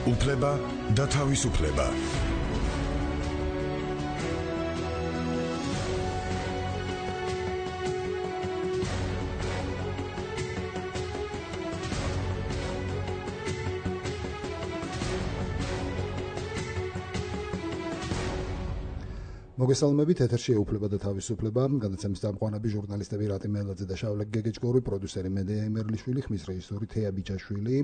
უფლება და თავისუფლება. მოგესალმებით, ეთერში უფლება და თავისუფლება, გადაცემის დამყვანები ჟურნალისტები რატი მელაძე და შავლე გეგეჭკორი, პროდიუსერი მედია იმერლიშვილი, ხმის რეჟისორი თეა ბიჭაშვილი.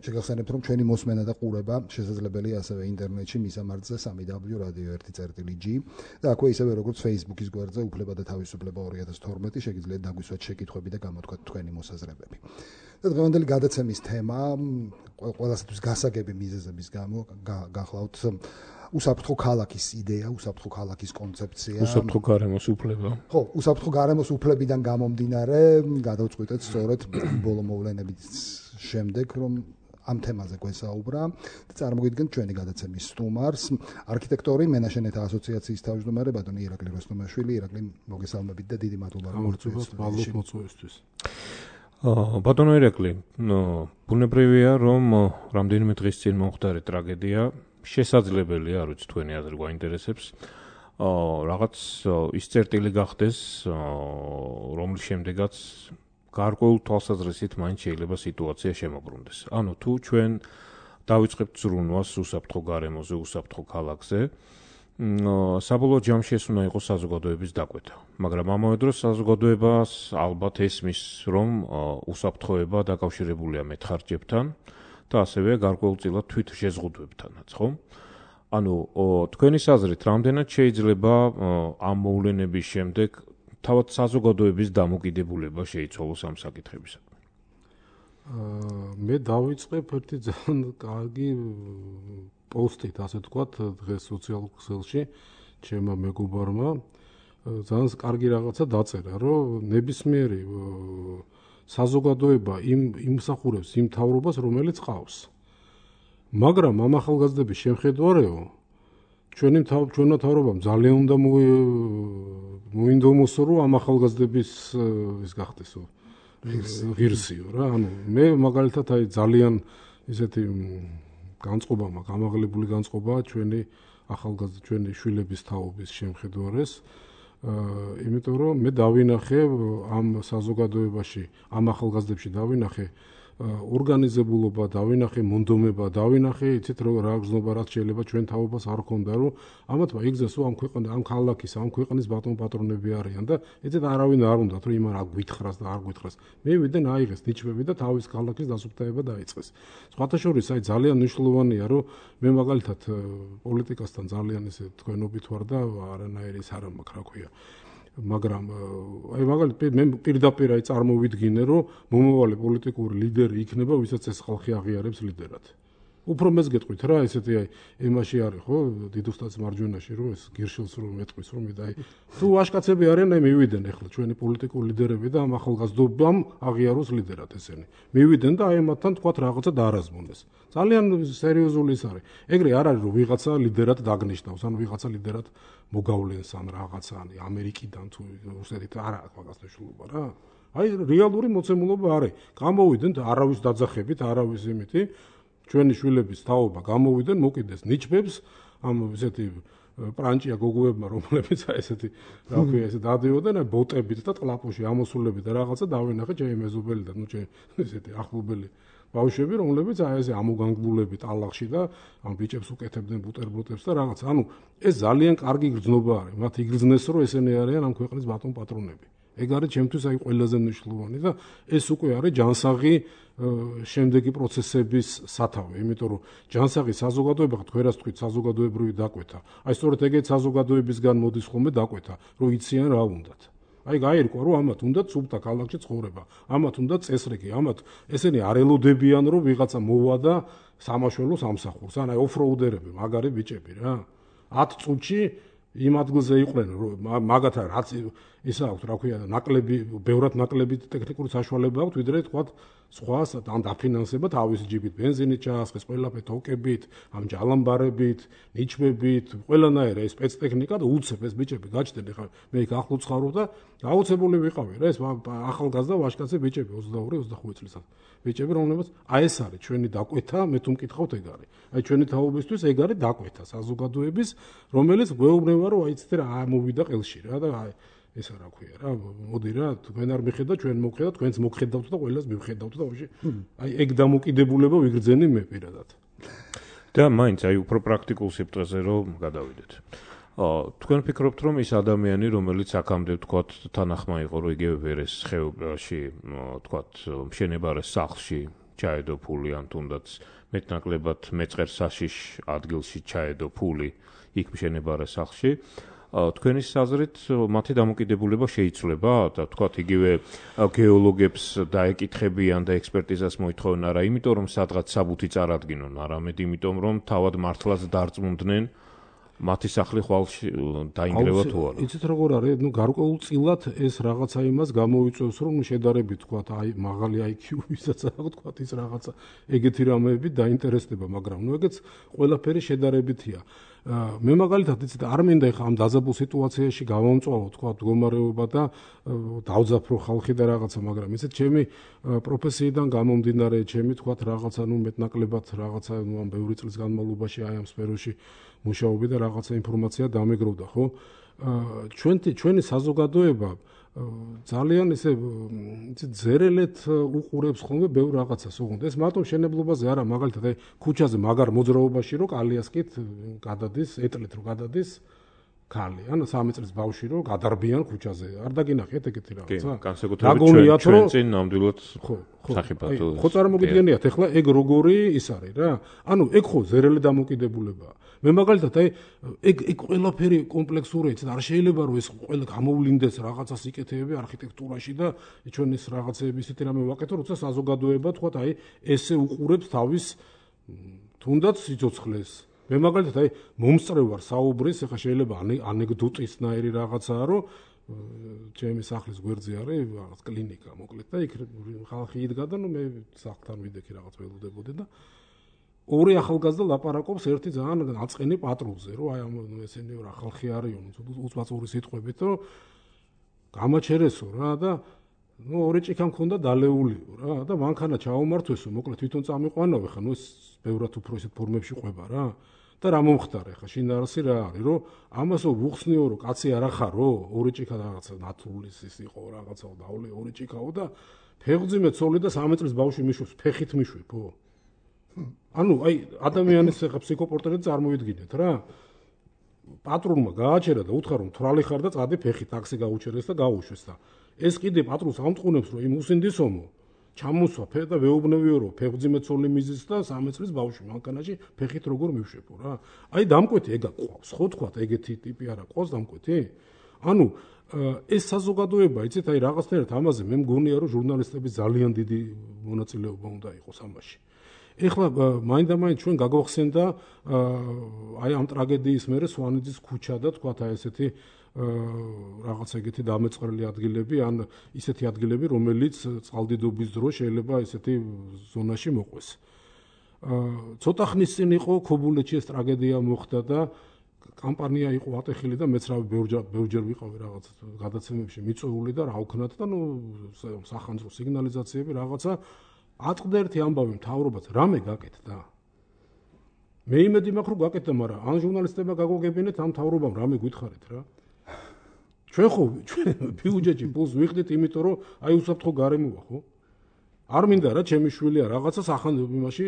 შეგახსენებთ, რომ ჩვენი მოსმენა და ყურება შესაძლებელია ასევე ინტერნეტში მისამართზე www.radio1.g და აქვე ისევე როგორც Facebook-ის გვერდზე უფლება და თავისუფლება 2012 შეგიძლიათ დაგვისვათ შეკითხვები და გამოთქვათ თქვენი მოსაზრებები. და დღევანდელი გადაცემის თემა ყველასათვის გასაგები მიზეზების გამო გახლავთ უსაფრთხო ქალაქის იდეა, უსაფრთხო ქალაქის კონცეფცია. უსაფრთხო გარემოს უფლება. ხო, უსაფრთხო გარემოს უფლებიდან გამომდინარე, გადავწყვიტეთ სწორედ ბოლო მოვლენების შემდეგ, რომ ამ თემაზე გვესაუბრა და წარმოგიდგენთ ჩვენი გადაცემის სტუმარს, არქიტექტორი, მენაშენეთა ასოციაციის თავმჯდომარე ბატონი ირაკლი როსტომაშვილი. ირაკლი, მოგესალმებით და დიდი მადლობა მოწვევისთვის. ბატონო ირაკლი, ბუნებრივია, რომ რამდენიმე დღის წინ მომხდარი ტრაგედია შესაძლებელია, არ ვიცი თქვენი აზრი გვაინტერესებს, რაღაც ის წერტილი გახდეს, რომლის შემდეგაც გარკვეულ თვალსაზრისით მაინც შეიძლება სიტუაცია შემოbrunდეს. ანუ თუ ჩვენ დავიწყებთ ზრუნვას უსაფრთხო გარემოზე, უსაფრთხო ქალაქზე, საბოლოო ჯამში ეს უნდა იყოს საზოგადოების დაკვეთა. მაგრამ ამავე დროს საზოგადოებას ალბათ ესმის, რომ უსაფრთხოება დაკავშირებულია მეტხარჯებთან და ასევე გარკვეულწილად თვით შეზღუდვებთანაც, ხო? ანუ თქვენი აზრით, რამდენად შეიძლება ამ მოვლენების შემდეგ თავად საზოგადოების დამოკიდებულება შეიცვალოს ამ საკითხებისადმი? მე დავიწყებ ერთი ძალიან კარგი პოსტით, ასე ვთქვათ, დღეს სოციალურ ქსელში ჩემმა მეგობარმა ძალიან კარგი რაღაცა დაწერა, რომ ნებისმიერი საზოგადოება იმსახურებს იმ მთავრობას, რომელიც ყავს. მაგრამ ამ ახალგაზრდების შემხედვარეო, ჩვენმა მთავრობამ ძალიან უნდა მოინდომოსო, რომ ამ ახალგაზრდების ის გახდესო, ღირსიო რა. ანუ მე მაგალითად აი ძალიან ისეთი განწყობა მაქვს, ამაღლებული განწყობაა ჩვენი ახალგაზრდა, ჩვენი შვილების თაობის შემხედვარეს. იმიტომ რომ მე დავინახე ამ საზოგადოებაში, ამ ახალგაზრდებში დავინახე ორგანიზებულობა, დავინახე მონდომება, დავინახე იცით რომ რა გზნობა რაც შეიძლება ჩვენ თაობას არ ქონდა, რომ ამათმა იგზას რომ ამ ქვეყნის, ამ ქალაქის, ამ ქვეყნის ბატონ პატრონები არიან და იცით არავინ არ უნდათ რომ იმან არ გვითხრას და არ გვითხრას. მე ვიდენ აიღეს ნიჩბები და თავის ქალაქის დასუფთავება დაიწყეს. სხვათა შორის აი ძალიან მნიშვნელოვანია რომ მე მაგალითად პოლიტიკასთან ძალიან ისე თქვენობით ვარ და არანაირი ის არ მაქვს, რა ქვია. მაგრამ აი მაგალითად მე პირდაპირ აი წარმოვიდგინე რომ მომავალი პოლიტიკური ლიდერი იქნება, ვისაც ეს ხალხი აღიარებს ლიდერად. უფრო მეც გეტყვით რა, ესეთი აი ემაში არის ხო, დიდოსტაც მარჯვენაში რომ ეს გირშილს რომ მეტყვის რომ აი თუ ვაშკაცები არიან, აი მივიდენ ახლა ჩვენი პოლიტიკური ლიდერები და ამ ახალგაზრდობამ აღიაროს ლიდერად ესენი. მივიდენ და აი მათთან თქვათ რაღაცა დაარაზმონდეს. ძალიან სერიოზული ის არის. ეგრე არ არის რომ ვიღაცა ლიდერად დაგნიშნავს, ან ვიღაცა ლიდერად მოგავლენს ან რაღაცა ან ამერიკიდან თუ რუსეთით არ აქვს მაგას მნიშვნელობა რა. აი რეალური მოცემულობა არის. გამოვიდეთ არავის დაძახებით, არავის იმითი ჩვენი შვილების თაობა გამოვიდნენ, მოკიდეს ნიჩბებს ამ ესეთი პრანჭია გოგოებმა, რომლებიც ესეთი რა ქვია, ესე დადიოდნენ ბოტებით და ტყლაპოში ამოსულებით და რაღაცა დავინახე ჩემი მეზობელი და ნუ ჩემი ესეთი ახლობელი ბავშვები, რომლებიც აი ესე ამოგანგლულებით ალაღში და ამ ბიჭებს უკეთებდნენ ბუტერბროტებს და რაღაც. ანუ ეს ძალიან კარგი გრძნობა არის. მათ იგრძნეს რომ ესენი არიან ამ ქვეყნის ბატონ პატრონები. ეგ არის ჩემთვის აი ყველაზე მნიშვნელოვანი და ეს უკვე არის ჯანსაღი შემდეგი პროცესების სათავე, იმიტომ რომ ჯანსაღი საზოგადოება, თქვენას თქვით საზოგადოებრივი დაკვეთა. აი სწორედ ეგეთ საზოგადოებისგან მოდის ხოლმე დაკვეთა, რომ იციან რა უნდათ. აი გაირკვა რომ ამათ უნდათ სუფთა ქალაქში ცხოვრება, ამათ უნდათ წესრიგი, ამათ ესენი არ ელოდებიან რომ ვიღაცა მოვა და სამაშველოს ამსახურს, ან აი ოფროუდერები, მაგარი ბიჭები რა. 10 წუთში იმ ადგილზე იყვნენ, რომ მაგათ რაც ისა აქვს, რა ქვია, ნაკლები, ბევრად ნაკლები ტექნიკური საშუალება აქვს, ვიდრე თქვათ სხვა ან დაფინანსება თავის ჯიბით, ბენზინით ჩაასხეს, ყველაფერი თოკებით, ამ ჯალამბარებით, ნიჩბებით, ყველანაირ ეს სპეცტექნიკა და უცებ ეს ბიჭები გაჩნდნენ, ხა მე იქ ახლო ცხოვრობ და გაუცებული ვიყავი რა, ეს ახალგაზრდა ვაჟკაცები ბიჭები 22-25 წლის ბიჭები, რომლებიც აი ეს არის ჩვენი დაკვეთა, მე თუ მკითხავთ ეგ არის. აი ჩვენი თაობისთვის ეგ არის დაკვეთა საზოგადოების, რომელიც გვეუბნება რომ აი ცეთი რა მოვიდა ყელში რა და აი ეს რა ქვია რა, მოდი რა, თქვენ არ მიხედავთ, ჩვენ მოვხედავთ, თქვენც მოგხედავთ და ყველას მივხედავთ და ვაში აი ეგ დამოკიდებულება ვიგრძენი მე პირადად. და მაინც აი უფრო პრაქტიკულ სიბრტყეზე რომ გადავიდეთ. თქვენ ფიქრობთ რომ ის ადამიანი რომელიც აქამდე ვთქვათ თანახმა იყო რომ იგივე ვერეს ხეობაში ვთქვათ მშენებარე სახლში ჩაედო ფული ან თუნდაც მეტნაკლებად მეწყერ საშიშ ადგილში ჩაედო ფული იქ მშენებარე სახლში თქვენი საზრით მათი დამოკიდებულება შეიცვლება და ვთქვათ იგივე გეოლოგებს დაეკითხებიან და ექსპერტიზას მოითხოვენ არა იმიტომ რომ სადღაც საბუთი წარადგინონ არამედ იმიტომ რომ თავად მართლაც დარწმუნდნენ მათი სახლი ხვალ დაინგრევა თუ არა. იცით როგორ არის, გარკვეულწილად ეს რაღაცა იმას გამოიწვევს, რომ შედარებით თქვათ, აი მაღალი IQ-ვისაც აქვს, თქვათ ის რაღაცა ეგეთი რამეები დაინტერესდება, მაგრამ ნუ ეგეც ყველაფერი შედარებითია. მე მაგალითად იცით არ მინდა ხა ამ დაზაბულ სიტუაციაში გავამწვავო თქვათ მდგომარეობა და დავძაფრო ხალხი და რაღაცა, მაგრამ იცით ჩემი პროფესიიდან გამომდინარე, ჩემი თქვათ რაღაცა ნუ მეტნაკლებად რაღაცა ნუ ამ ბევრი წლის განმავლობაში აი ამ სფეროში მუშაობდი და რაღაცა ინფორმაცია დამეგროვდა, ხო? ჩვენი საზოგადოება ძალიან ისე ზერელეთ უყურებს ხოლმე ბევრ რაღაცას, ოღონდ ეს მარტო მშენებლობაზე არა, მაგალითად აი ქუჩაზე მაგარ მოძრაობაში რო კალიასკით გადადის, ეტლით რო გადადის ქალი, ან 3 წლის ბავშვი რო გადარბიან ქუჩაზე. არ დაგინახეთ ეგეთი რაღაცა? კი, განსაკუთრებით ჩვენ წინ ნამდვილად სახიფათო. ხო წარმოგიდგენიათ, ეხლა ეგ როგორი ის არის რა? ანუ ეგ ხო ზერელი დამოკიდებულებაა. მე მაგალითად აი ეგ ყველაფერი კომპლექსური იცით, არ შეიძლება რომ ეს ყველა გამოვლინდეს რაღაცას იკეთებები არქიტექტურაში და ჩვენ ეს რაღაცეები ისეთი რამე ვაკეთო, როცა საზოგადოება თქვათ აი ესე უყურებს თავის თუნდაც სიცოცხლეს. მე მაგალითად აი მომსწრევ ვარ საუბრის, ეხლა შეიძლება ანეკდოტისნაირი რაღაცაა, რომ ჩემი სახლის გვერდზე არის რაღაც კლინიკა, მოკლედ და იქ ხალხი იდგა და ნუ მე სახლთან ვიდექი რაღაც ველოდებოდი და ორი ახალგაზრდა ლაპარაკობს ერთი ძალიან აწყენი პატრულზე, რომ აი ესენი რა ხალხი არისო, უცბაწური სიტყვებით, რომ გამაჩერესო რა და ნუ ორი ჭიქა მქონდა დალეულიო რა და მანქანა ჩაუმართვესო, მოკლედ თვითონ წამიყვანავე ხა, ნუ ეს ბევრად უფრო ისეთ ფორმებში ყვება რა. და რა მომხდარა ხა შინაარსი რა არის, რომ ამასო ვუხსნიო, რომ კაცი არ ახარო, ორი ჭიქა რაღაცა ნათულის ის იყო რაღაცა დავლე ორი ჭიქაო და ფეხძიმე ცოლი და 3 წლის ბავშვი მიშვებს, ფეხით მიშვებო. ანუ აი ადამიანის ხა ფსიქოპორტრეტი წარმოვიდგინეთ რა. პატრონმა გააჩერა და უთხრა რომ თვრალი ხარ და წადი ფეხით ტაქსი გაუჩერეს და გაუშვეს და ეს კიდე პატრონს ამწყუნებს რომ იმ უსინდისომო ჩამოსვა ფე და ვეუბნებიო რომ ფეხძიმე ცოლი მიზის და 3 წლის ბავშვი მანქანაში ფეხით როგორ მივშვებო რა. აი დამკვეთი ეგა ყავს, ხო თქვათ ეგეთი ტიპი არა ყავს დამკვეთი? ანუ ეს საზოგადოება, იცით, აი რაღაცნაირად ამაზე მე მგონია რომ ჟურნალისტების ძალიან დიდი მონაწილეობა უნდა იყოს ამაში. ეხლა მაინდა-მაინც ჩვენ გაგვახსენდა აი ამ ტრაგედიის მერე სვანიძის ქუჩა და თქვათ აი ესეთი რაღაც ეგეთი დამეწყრელი ადგილები ან ისეთი ადგილები, რომელიც წყალდიდობის დროს შეიძლება ესეთი ზონაში მოყვეს. ცოტა ხნის წინ იყო ქობულეთში ეს ტრაგედია მოხდა და კამპანია იყო ატეხილი და მეც რა ბევრჯერ ვიყავი რაღაც გადაცემებში მიწვეული და რა ვქნათ და ნუ სახანძრო სიგნალიზაციები რაღაცა აწყდა ერთი ამბავი მთავრობაც რამე გაკეთდა. მე იმედი მაქვს რომ გაკეთდა, მაგრამ ან ჟურნალისტებმა გაგოგებინეთ ამ მთავრობამ რამე გითხარით რა. ჩვენ ხო ბიუჯეტში ფულს ვიხდით იმიტომ რომ აი უსაფრთხო გარემოა ხო? არ მინდა რა ჩემი შვილია რაღაცა სახანძრებაში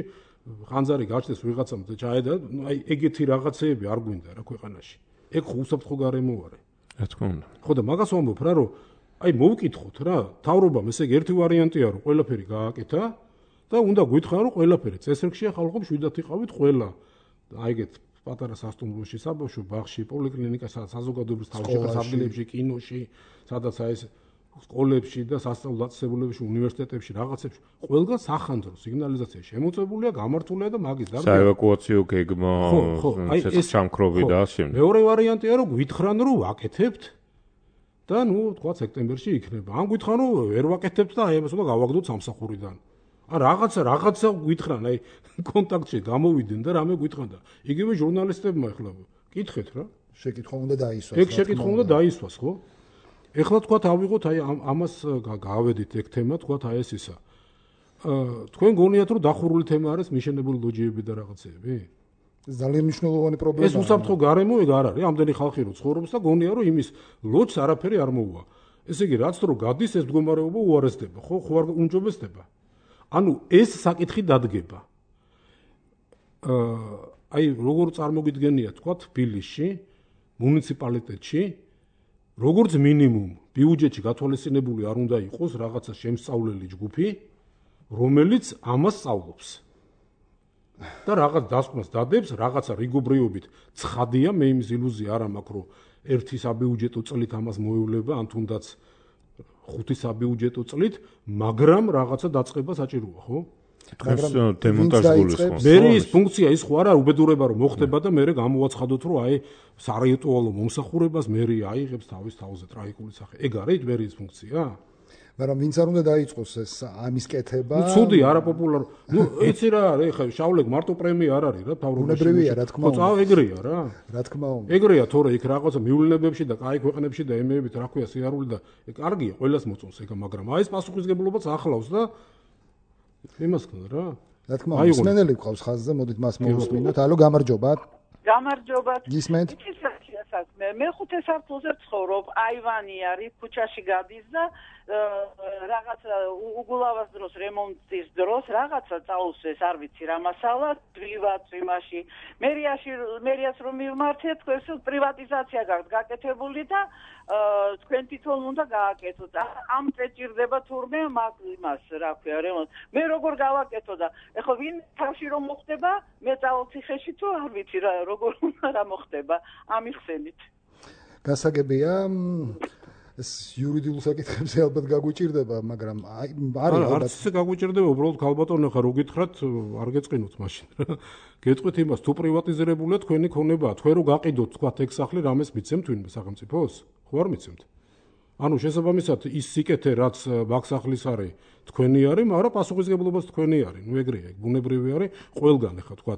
ხანძარი გაჩნდეს ვიღაცამ და ჩაედა, აი ეგეთი რაღაცეები არ გვინდა რა ქვეყანაში. ეგ ხო უსაფრთხო გარემოა რა. რა თქმა უნდა. ხო და მაგას ვამბობ რა რომ აი მოვკითხოთ რა, თავრობამ ესე ერთი ვარიანტია რომ ყველაფერი გააკეთა და უნდა გითხრა რომ ყველაფერი წესრიგშია ხალხო მშვიდად იყავით ყველა. აი ეგეთ პატარა სასტუმროში, საბავშვო ბაღში, პოლიკლინიკაში, საზოგადოებრივ თავშეყრებებში, კინოში, სადაც აი ეს სკოლებში და სასწავლო დაწესებულებებში, უნივერსიტეტებში, რაღაცებში, ყველგან სახანძრო სიგნალიზაცია შემოწებულია, გამართულია და მაგის დარბია. საევაკუაციო გეგმა, ეს ჩამქრობი და ამ შემდეგ. მეორე ვარიანტია რომ გითხრან რომ ვაკეთებთ და თქვა სექტემბერში იქნება. ან გითხრა ვერ ვაკეთებთ და აი ამას უნდა გავაგდოთ სამსახურიდან. ან რაღაცა გითხრან, აი კონტაქტში გამოვიდნენ და რამე გითხრან და იგივე ჟურნალისტებმა ახლა კითხეთ რა. შეკითხვა უნდა დაისვას. ეგ შეკითხვა უნდა დაისვას, ხო? ეხლა თქვა ავიღოთ აი ამას გავედით ეგ თემა, თქვა აი ეს ისა. თქვენ გონიათ რომ დახურული თემა არის მიშენებული ლოჯიები და რაღაცეები? ეს ძალიან მნიშვნელოვანი პრობლემაა. ეს უსაფრთხო გარემო ეგ არ არის, ამდენი ხალხი რო ცხოვრობს და გონია რომ იმის ლოჯს არაფერი არ მოუვა. ესე იგი რაც დრო გადის ეს მდგომარეობა უარესდება, ხო არ უნჯობესდება. ანუ ეს საკითხი დადგება. აი როგორ წარმოგიდგენია თქვა თბილისში, მუნიციპალიტეტში, როგორც მინიმუმ ბიუჯეტში გათვალისწინებული არ უნდა იყოს რაღაცა შემსწავლელი ჯგუფი, რომელიც ამას სწავლობს. და რაღაც დასკვნას დადებს, რაღაცა რიგობრიობით ცხადია, მე იმის ილუზია არ მაქვს, რომ ერთი საბიუჯეტო წლით ამას მოევლება, ან თუნდაც 5 საბიუჯეტო წლით, მაგრამ რაღაცა დაწყება საჭიროა, ხო? თქვენს დემონტაჟ გულისხმობს. მე ის ფუნქცია ის ხო არა უბედურება რომ მოხდება და მე გამოვაცხადოთ რომ აი სარიეტუალო მომსახურებას მე აიღებს თავის თავზე ტრაგიკული სახე. ეგ არის მე ის ფუნქცია? მაგრამ ვინც არ უნდა დაიწყოს ეს ამის კეთება. ცუდი არაპოპულარ. იცი რა არის, ხა შავლეგ მარტო პრემია არ არის რა თავრობაში. უნებრივია რა თქმა უნდა. ხო, ეგრეა რა. რა თქმა უნდა. ეგრეა თორე იქ რაღაცა მიულინებებში და კაი ქვეყნებში და ემეებით რა ქვია სიარული და კარგია ყველას მოწონს ეგ, მაგრამ აი ეს პასუხისგებლობაც ახლავს და იმას ქონდა რა. რა თქმა უნდა, მსმენელი გყავს ხაზზე, მოდით მას მოვუსმინოთ. ალო, გამარჯობა. გამარჯობა. გისმენთ? მე 5 სართულზე ვცხოვრობ, აივანი არის, ქუჩაში გადის და რაღაცა უგულავას დროს, რემონტის დროს რაღაცა წაუსვეს, არ ვიცი რა მასალა, პრივატ იმაში. მერიას რომ მივმართეთ, თქვენს პრივატიზაცია გაქვთ გაკეთებული და თქვენ თვითონ უნდა გააკეთოთ. ამ წეჭირდება თურმე იმას, რა ქვია, რემონტ. მე როგორ გავაკეთო და ეხლა ვინ თავში რომ მოხდება, მე წავციხეში თუ არ ვიცი რა, როგორ უნდა რა მოხდება, ამიხსენით. გასაგებია ეს იურიდიულ საკითხებზე ალბათ გაგვიჭირდება, მაგრამ არის ალბათ ისე გაგვიჭირდება, უბრალოდ ქალბატონო ხა რო გითხრათ, არ გეწყინოთ მაშინ რა. გეტყვით იმას, თუ პრივატიზირებულია თქვენი ქონებაა, თქვენ რო გაყიდოთ თქვა ეგ სახლი რამეს მიცემთ ვინმე სახელმწიფოს? ხო არ მიცემთ? ანუ შესაბამისად ის სიკეთე რაც ბაქსახლის არის თქვენი არის, მაგრამ პასუხისგებლობაც თქვენი არის. ნუ ეგრეა, ბუნებრივი არის ყველგან ახლა თქვა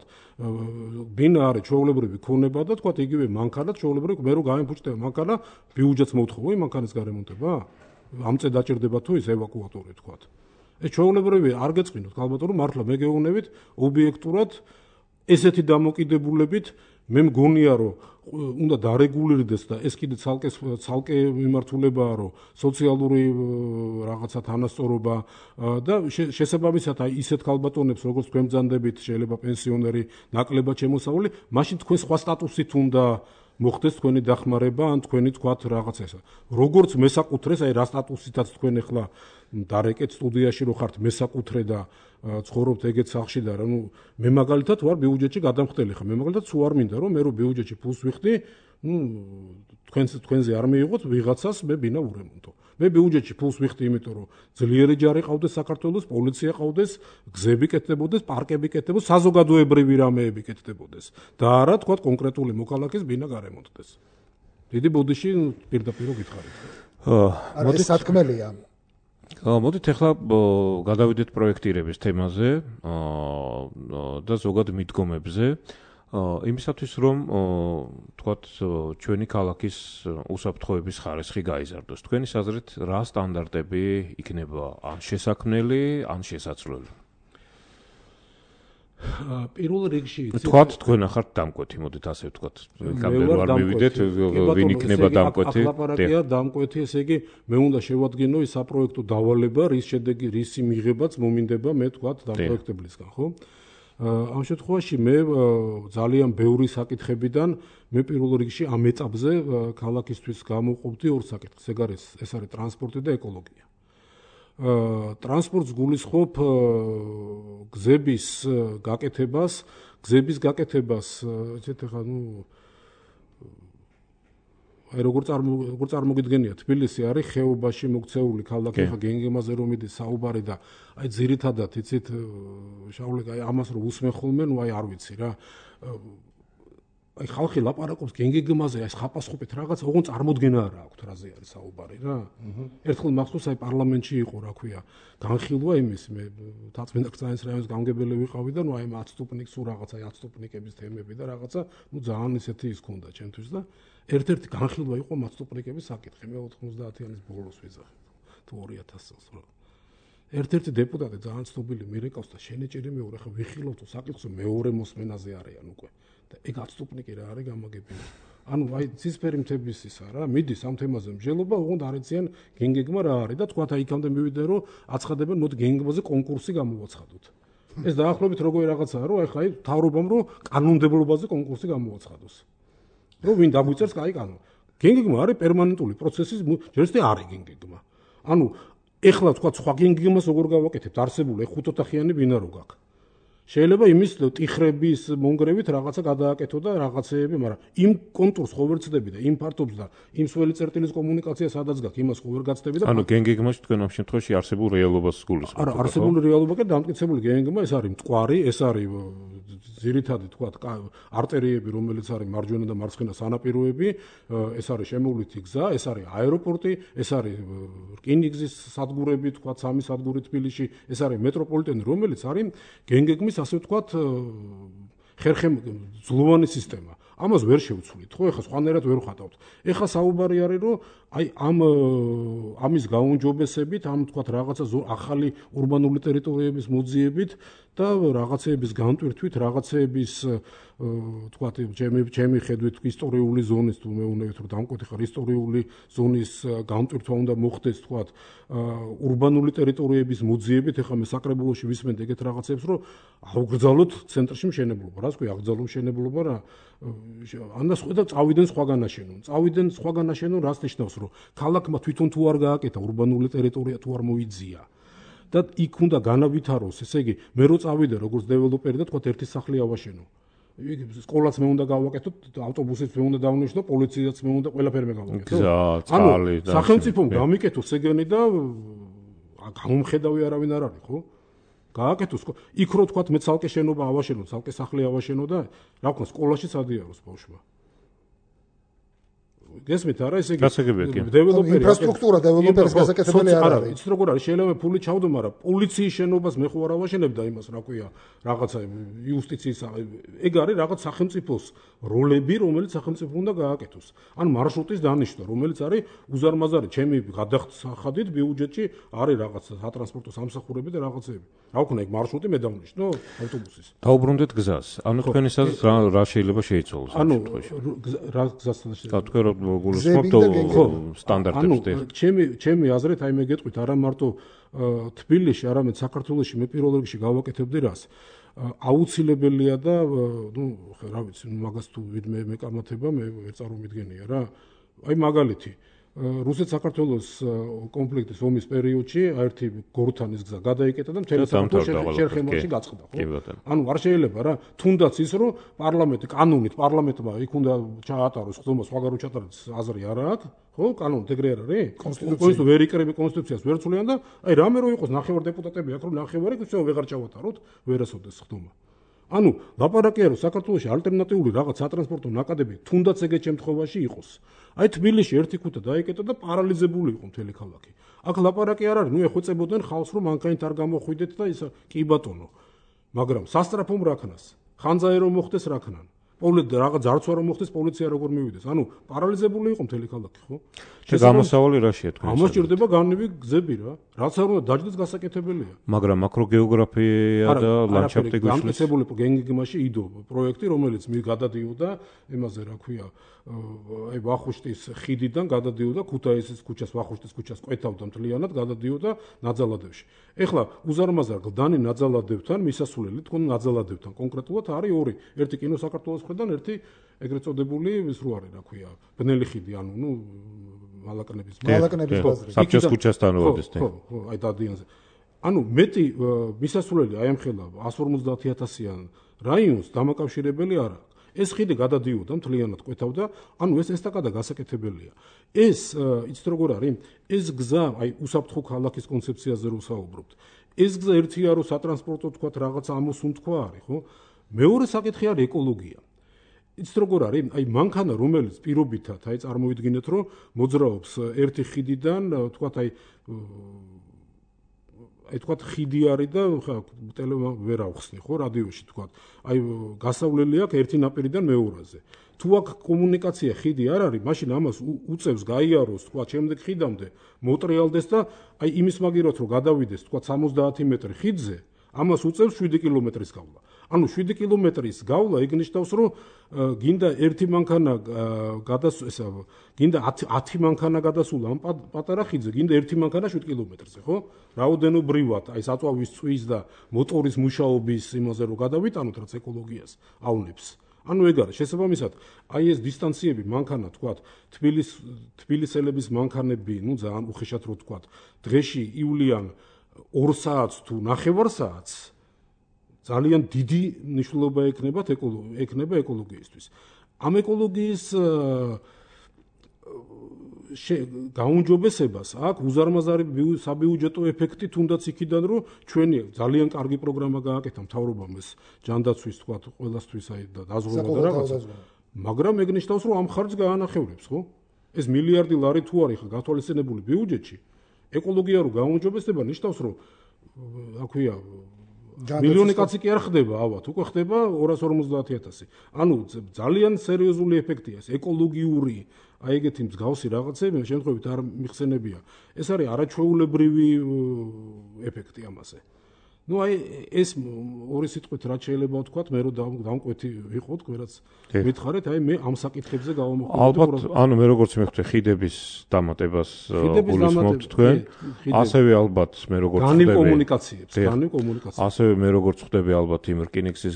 ბინა არის ჩვეულებრივი ქონება და თქვა იგივე მანქანაც ჩვეულებრივი მე რო გამიფუჭდება მანქანა ბიუჯეტს მოთხოვი მანქანის გარემონტება? ამ წე დაჭირდება თუ ის ევაკუატორი თქვა. ეს ჩვეულებრივი არ გეწყინოთ ალბათ რომ მართლა მე გეუბნებით ობიექტურად ესეთი დამოკიდებულებით მე მგონია რომ უნდა დარეგულირდეს და ეს კიდე ცალკე მიმართულებაა რომ სოციალური რაღაცა თანასწორობა და შესაბამისად აი ისეთ ქალბატონებს როგორც თქვენ ბრძანდებით შეიძლება პენსიონერი ნაკლებად შემოსავლი მაშინ თქვენ სხვა სტატუსით უნდა მოხდეს თქვენი დახმარება ან თქვენი თქვათ რაღაცა ესა როგორც მესაკუთრეს აი რა სტატუსითაც თქვენ ახლა დარეკეთ სტუდიაში რო ხართ მესაკუთრე და ცხოვრობთ ეგეთ სახლში და ნუ მე მაგალითად ვარ ბიუჯეტში გადამხდელი ხა მე მაგალითად სულ არ მინდა რომ მე რო ბიუჯეტში ფულს ვიხდი ნუ თქვენზე არ მიიღოთ ვიღაცას მე ბინა ურემონტო მე ბიუჯეტში ფულს ვიხდი იმიტომ რომ ძლიერი ჯარი ყავდეს საქართველოს პოლიცია ყავდეს გზები კეთდებოდეს პარკები კეთდებოდეს საზოგადოებრივი რამეები კეთდებოდეს და არა თქვა კონკრეტული მოქალაქის ბინა გარემონტდეს დიდი ბოდიში პირდაპირ გითხარით მოდი სათქმელია მოდით ახლა გადავიდეთ პროექტირების თემაზე და ზოგად მიდგომებზე იმისათვის რომ თქვათ ჩვენი ქალაქის უსაფრთხოების ხარისხი გაიზარდოს თქვენი აზრით რა სტანდარტები იქნება ან შესაქმნელი ან შესაძლებელი პირველ რიგში თქვათ თქვენ ახართ დამკვეთი მოდით ასე ვთქვათ კამერა არ მივიდეთ ვინ იქნება დამკვეთი ახლაპარაკია დამკვეთი ესე იგი მე უნდა შევადგინო ის საპროექტო დავალება რის შედეგი რისი მიღებაც მომინდება მე თქვათ დამპროექტებლისგან ხო ამ შემთხვევაში მე ძალიან ბევრი საკითხებიდან მე პირველ რიგში ამ ეტაპზე ქალაქისთვის გამოვყოფდი ორ საკითხს ეს არის ტრანსპორტი და ეკოლოგია ტრანსპორტს გულისხმობ გზების გაკეთებას ესეთ ახლა ნუ აი როგორ წარმოგიდგენია თბილისი არის ხეობაში მოქცეული ქალაქი ხა გენგემაზე რომ მიდის საუბარი და აი ძირითადად იცით შავლეკა აი ამას რომ უსმენ ხოლმე ნუ აი არ ვიცი რა აი ხალხი ლაპარაკობს გენგეგმაზე, აი ხაპასხუპეთ რაღაც, ოღონდ წარმოდგენა არა აქვთ რაზე არის საუბარი რა. ერთხელ მახსოვს აი პარლამენტში იყო რა ქვია, განხილვა იმის მე თაცმინდა ქცანის რაიონის გამგებელი ვიყავი და ნუ აი 10 სტუპნიკს უ რაღაცა 10 სტუპნიკების თემები და რაღაცა ნუ ძალიან ისეთი ის ქონდა ჩემთვის და ერთ-ერთი განხილვა იყო 10 სტუპნიკების საკითხი მე 90-იანის ბოლოს ვიზახე თუ 2000 წელს რა. ერთ-ერთი დეპუტატი ძალიან ცნობილი მირეკავს და შენეჭერი მეორე ხა ვიხილავთ საკითხს მეორე მოსმენაზე არიან უკვე. და ეგ 10 სტუპნიკი რა არის გამაგებინე. ანუ აი ცისფერი მთების ისა რა, მიდის ამ თემაზე მსჯელობა, ოღონდ არ იციან გენგეგმა რა არის და თქვათ აი იქამდე მივიდნენ რომ აცხადებენ მოდი გენგეგმაზე კონკურსი გამოვაცხადოთ. ეს დაახლოებით როგორი რაღაცაა რომ აი ხა აი თავრობამ რომ კანონმდებლობაზე კონკურსი გამოვაცხადოს. რომ ვინ დაგვიწერს კაი კანონი. გენგეგმა არის პერმანენტული პროცესის ჯერჯერობით არის გენგეგმა. ანუ ეხლა თქვა სხვა გენგეგმას როგორ გავაკეთებთ არსებული 5 ოთახიანი ბინა რო გაქვს. შეიძლება იმის ტიხრების მონგრევით რაღაცა გადააკეთო და რაღაცეები, მაგრამ იმ კონტურს ხო ვერ ცდები და იმ ფართობს და იმ სველი წერტილის კომუნიკაცია სადაც გაქვს, იმას ხო ვერ გაცდები და ანუ გენგეგმაში თქვენ ამ შემთხვევაში არსებულ რეალობას გულისხმობთ. არა, არსებული რეალობა კი დამტკიცებული გენგეგმა ეს არის მტკვარი, ეს არის ძირითადი თქვა არტერიები, რომელიც არის მარჯვენა და მარცხენა სანაპიროები, ეს არის შემოვლითი გზა, ეს არის აეროპორტი, ეს არის რკინიგზის სადგურები, თქვა 3 სადგური თბილისში, ეს არის მეტროპოლიტენი, რომელიც არის გენგეგმის ასე ვთქვათ ხერხემძლოვანი სისტემა. ამას ვერ შევცვლით, ხო? ეხლა სხვანაირად ვერ ვხატავთ. ეხლა საუბარი არის, რომ აი ამის გაუმჯობესებით, ამ ვთქვათ რაღაცა ახალი урბანული ტერიტორიების მოძიებით და რაღაცეების განტვირთვით, რაღაცეების ვთქვათ, ჩემი ხედვით ისტორიული ზონის თუ მეუნებით რომ დამკვეთი ხარ ისტორიული ზონის განტვირთვა უნდა მოხდეს, ვთქვათ, урბანული ტერიტორიების მოძიებით, ეხლა მე საკრებულოში ვისმენთ ეგეთ რაღაცებს, რომ აუგრძალოთ ცენტრში მშენებლობა. რას ქვია აღძალო მშენებლობა რა? ანას ხედავ წავიდნენ სხვაგან აშენონ. წავიდნენ სხვაგან აშენონ, რას ნიშნავს, რომ ქალაქმა თვითონ თუ არ გააკეთა урბანული ტერიტორია თუ არ მოიძია. და იქ უნდა განავითაროს, ესე იგი, მე რო წავიდე როგორც დეველოპერი და თქვა ერთი სახლი ავაშენო. სკოლაც მე უნდა გავაკეთო, ავტობუსიც მე უნდა დავნიშნო, პოლიციაც მე უნდა ყველაფერი მე გავაკეთო. ანუ სახელმწიფომ გამიკეთოს ეგენი და გამომხედავი არავინ არ არის, ხო? გააკეთოს, იქ რო თქვა მე ცალკე შენობა ავაშენო, ცალკე სახლი ავაშენო და რა ვქნა, სკოლაში სადიაროს ბავშვმა. გესმით არა ესე იგი დეველოპერი ინფრასტრუქტურა დეველოპერის გასაკეთებელი არ არის. იცით როგორ არის შეიძლება ფული ჩავდო, მაგრამ პოლიციის შენობას მე ხო არ ავაშენებ და იმას რა ქვია რაღაცა იუსტიციის ეგ არის რაღაც სახელმწიფოს როლები, რომელიც სახელმწიფო უნდა გააკეთოს. ანუ მარშრუტის დანიშნა, რომელიც არის უზარმაზარი, ჩემი გადახდით ბიუჯეტში არის რაღაც სატრანსპორტო სამსახურები და რაღაცეები. რა ვქნა ეგ მარშრუტი მე დავნიშნო ავტობუსის. დაუბრუნდეთ გზას. ანუ თქვენისაც რა შეიძლება შეიცვალოს ამ შემთხვევაში? რა გზას შეიძლება? თქვენ რომ გულისხმობთ სტანდარტებს და ჩემი აზრით აი მე გეტყვით არა მარტო თბილისში, არამედ საქართველოში მე პირველ რიგში გავაკეთებდი რას. აუცილებელია და ნუ რა ვიცი, მაგას თუ ვინმე მეკამათება, მე ვერ წარმომიდგენია რა. აი მაგალითი რუსეთ-საქართველოს კონფლიქტის ომის პერიოდში ერთი გორთანის გზა გადაიკეტა და მთელი საქართველოს შერხემაში გაწყდა, ხო? ანუ არ შეიძლება რა, თუნდაც ის რომ კანონით პარლამენტმა იქ უნდა ჩაატაროს ხდომა, სხვაგან რო ჩატარდეს აზრი არა აქვს, ხო? კანონით ეგრე არ არის? კონსტიტუცია ვერ იკრები, კონსტიტუციას ვერ ცვლიან და აი რამე რო იყოს ნახევარ დეპუტატები აქ რომ ნახევარი ისე ვეღარ ჩავატაროთ, ვერასოდეს ხდომა. ანუ ლაპარაკია რომ საქართველოში ალტერნატიული რაღაც სატრანსპორტო ნაკადები თუნდაც ეგეთ შემთხვევაში იყოს. აი თბილისში ერთი ქუთა დაიკეტა და პარალიზებული იყო მთელი ქალაქი. აქ ლაპარაკი არ არის, ნუ ეხვეწებოდნენ ხალხს რომ მანქანით არ გამოხვიდეთ და ისა კი ბატონო. მაგრამ სასტრაფომ რაქნას, ხანძარი რომ მოხდეს რაქნან. რაღაც ძარცვა რომ მოხდეს პოლიცია როგორ მივიდეს. ანუ პარალიზებული იყო მთელი ქალაქი, ხო? გამოსავალი რაშია თქვენ? ამას ჭირდება განივი გზები რა. რაც არ უნდა დაждდეს გასაკეთებელია. მაგრამ მაკროგეოგრაფია და ლანდშაფტი გვიშლის. გამწესებული გენგეგმაში იდო პროექტი, რომელიც გადადიოდა იმაზე, რა ქვია, აი ვახუშტის ხიდიდან გადადიოდა ქუთაისის ქუჩას, ვახუშტის ქუჩას ყვეთავდა მთლიანად, გადადიოდა ნაძალადევში. ეხლა უზარმაზარ გლდანი ნაძალადევთან მისასვლელი თქო ნაძალადევთან კონკრეტულად არის ორი. ერთი კინო საქართველოს მხრიდან, ერთი ეგრეთ წოდებული ის რო არის, რა ქვია, ბნელი ხიდი, ანუ ნუ მალაკნების ბაზრი. საბჭოს ქუჩასთან როდეს და. ხო, აი დადიანზე. ანუ მეტი მისასვლელი აი ამ ხელა 150.000-იან რაიონს დამაკავშირებელი არ აქვს. ეს ხიდი გადადიოდა მთლიანად ყვეთავდა, ანუ ეს ესტაკადა გასაკეთებელია. ეს იცით როგორ არის? ეს გზა, აი უსაფრთხო ქალაქის კონცეფციაზე რო საუბრობთ. ეს გზა ერთია რომ სატრანსპორტო თქვა რაღაც ამოსუნთქვა არის, ხო? მეორე საკითხი არის ეკოლოგია. იცით როგორ არის? აი მანქანა რომელიც პირობითად აი წარმოვიდგინეთ რომ მოძრაობს ერთი ხიდიდან, თქვათ აი თქვათ ხიდი არის და ტელემა ვერ ავხსნი ხო რადიოში თქვათ. აი გასავლელი აქვს ერთი ნაპირიდან მეორაზე. თუ აქ კომუნიკაცია ხიდი არ არის, მაშინ ამას უწევს გაიაროს თქვათ შემდეგ ხიდამდე, მოტრიალდეს და აი იმის მაგივრად რომ გადავიდეს თქვათ 70 მეტრი ხიდზე, ამას უწევს 7 კილომეტრის გავლა. ანუ 7 კილომეტრის გავლა იგნიშნავს რომ გინდა ერთი მანქანა გადასულა, გინდა 10 მანქანა გადასულა ამ პატარა ხიდზე, გინდა ერთი მანქანა 7 კილომეტრზე, ხო? რაოდენობრივად, აი საწვავის წვის და მოტორის მუშაობის იმაზე რომ გადავიტანოთ, რაც ეკოლოგიას ავნებს. ანუ ეგ არის შესაბამისად, აი ეს დისტანციები მანქანა თქვათ, თბილისელების მანქანები, ну ძალიან უხეშად რო თქვათ, დღეში ივლიან 2 საათს თუ 9 საათს ძალიან დიდი მნიშვნელობა ექნება ეკოლოგიისთვის. ამ ეკოლოგიის გაუმჯობესებას აქვს უზარმაზარი საბიუჯეტო ეფექტი, თუნდაც იქიდან რომ ჩვენი ძალიან კარგი პროგრამა გააკეთა მთავრობამ ეს ჯანდაცვის თქვათ ყველასთვის აი და დაზღვევა და რაღაცა. მაგრამ ეგ ნიშნავს რომ ამ ხარჯს გაანახევრებს, ხო? ეს მილიარდი ლარი თუ არის გათვალისწინებული ბიუჯეტში, ეკოლოგია რო გაუმჯობესდება ნიშნავს რომ აქვია მილიონი კაცი კი არ ხდება, ალბათ, უკვე ხდება 250,000. ანუ ძალიან სერიოზული ეფექტია ეს ეკოლოგიური, აი ეგეთი მსგავსი რაღაცები შემთხვევით არ მიხსენებია. ეს არის არაჩვეულებრივი ეფექტი ამაზე. ну აი ეს ორი სიტყვით რაც შეიძლება ვთქვათ, მე რომ დამკვეთი ვიყოთ, რაც მითხარით, აი მე ამ საკითხებზე გავამოხმობ. ალბათ, ანუ მე როგორც მეხუთე ხიდების დამატებას გულისხმობთ თქვენ, ასევე ალბათ მე როგორც ხდები კომუნიკაციებს, ასევე მე როგორც ხდები ალბათ იმ რკინიგზის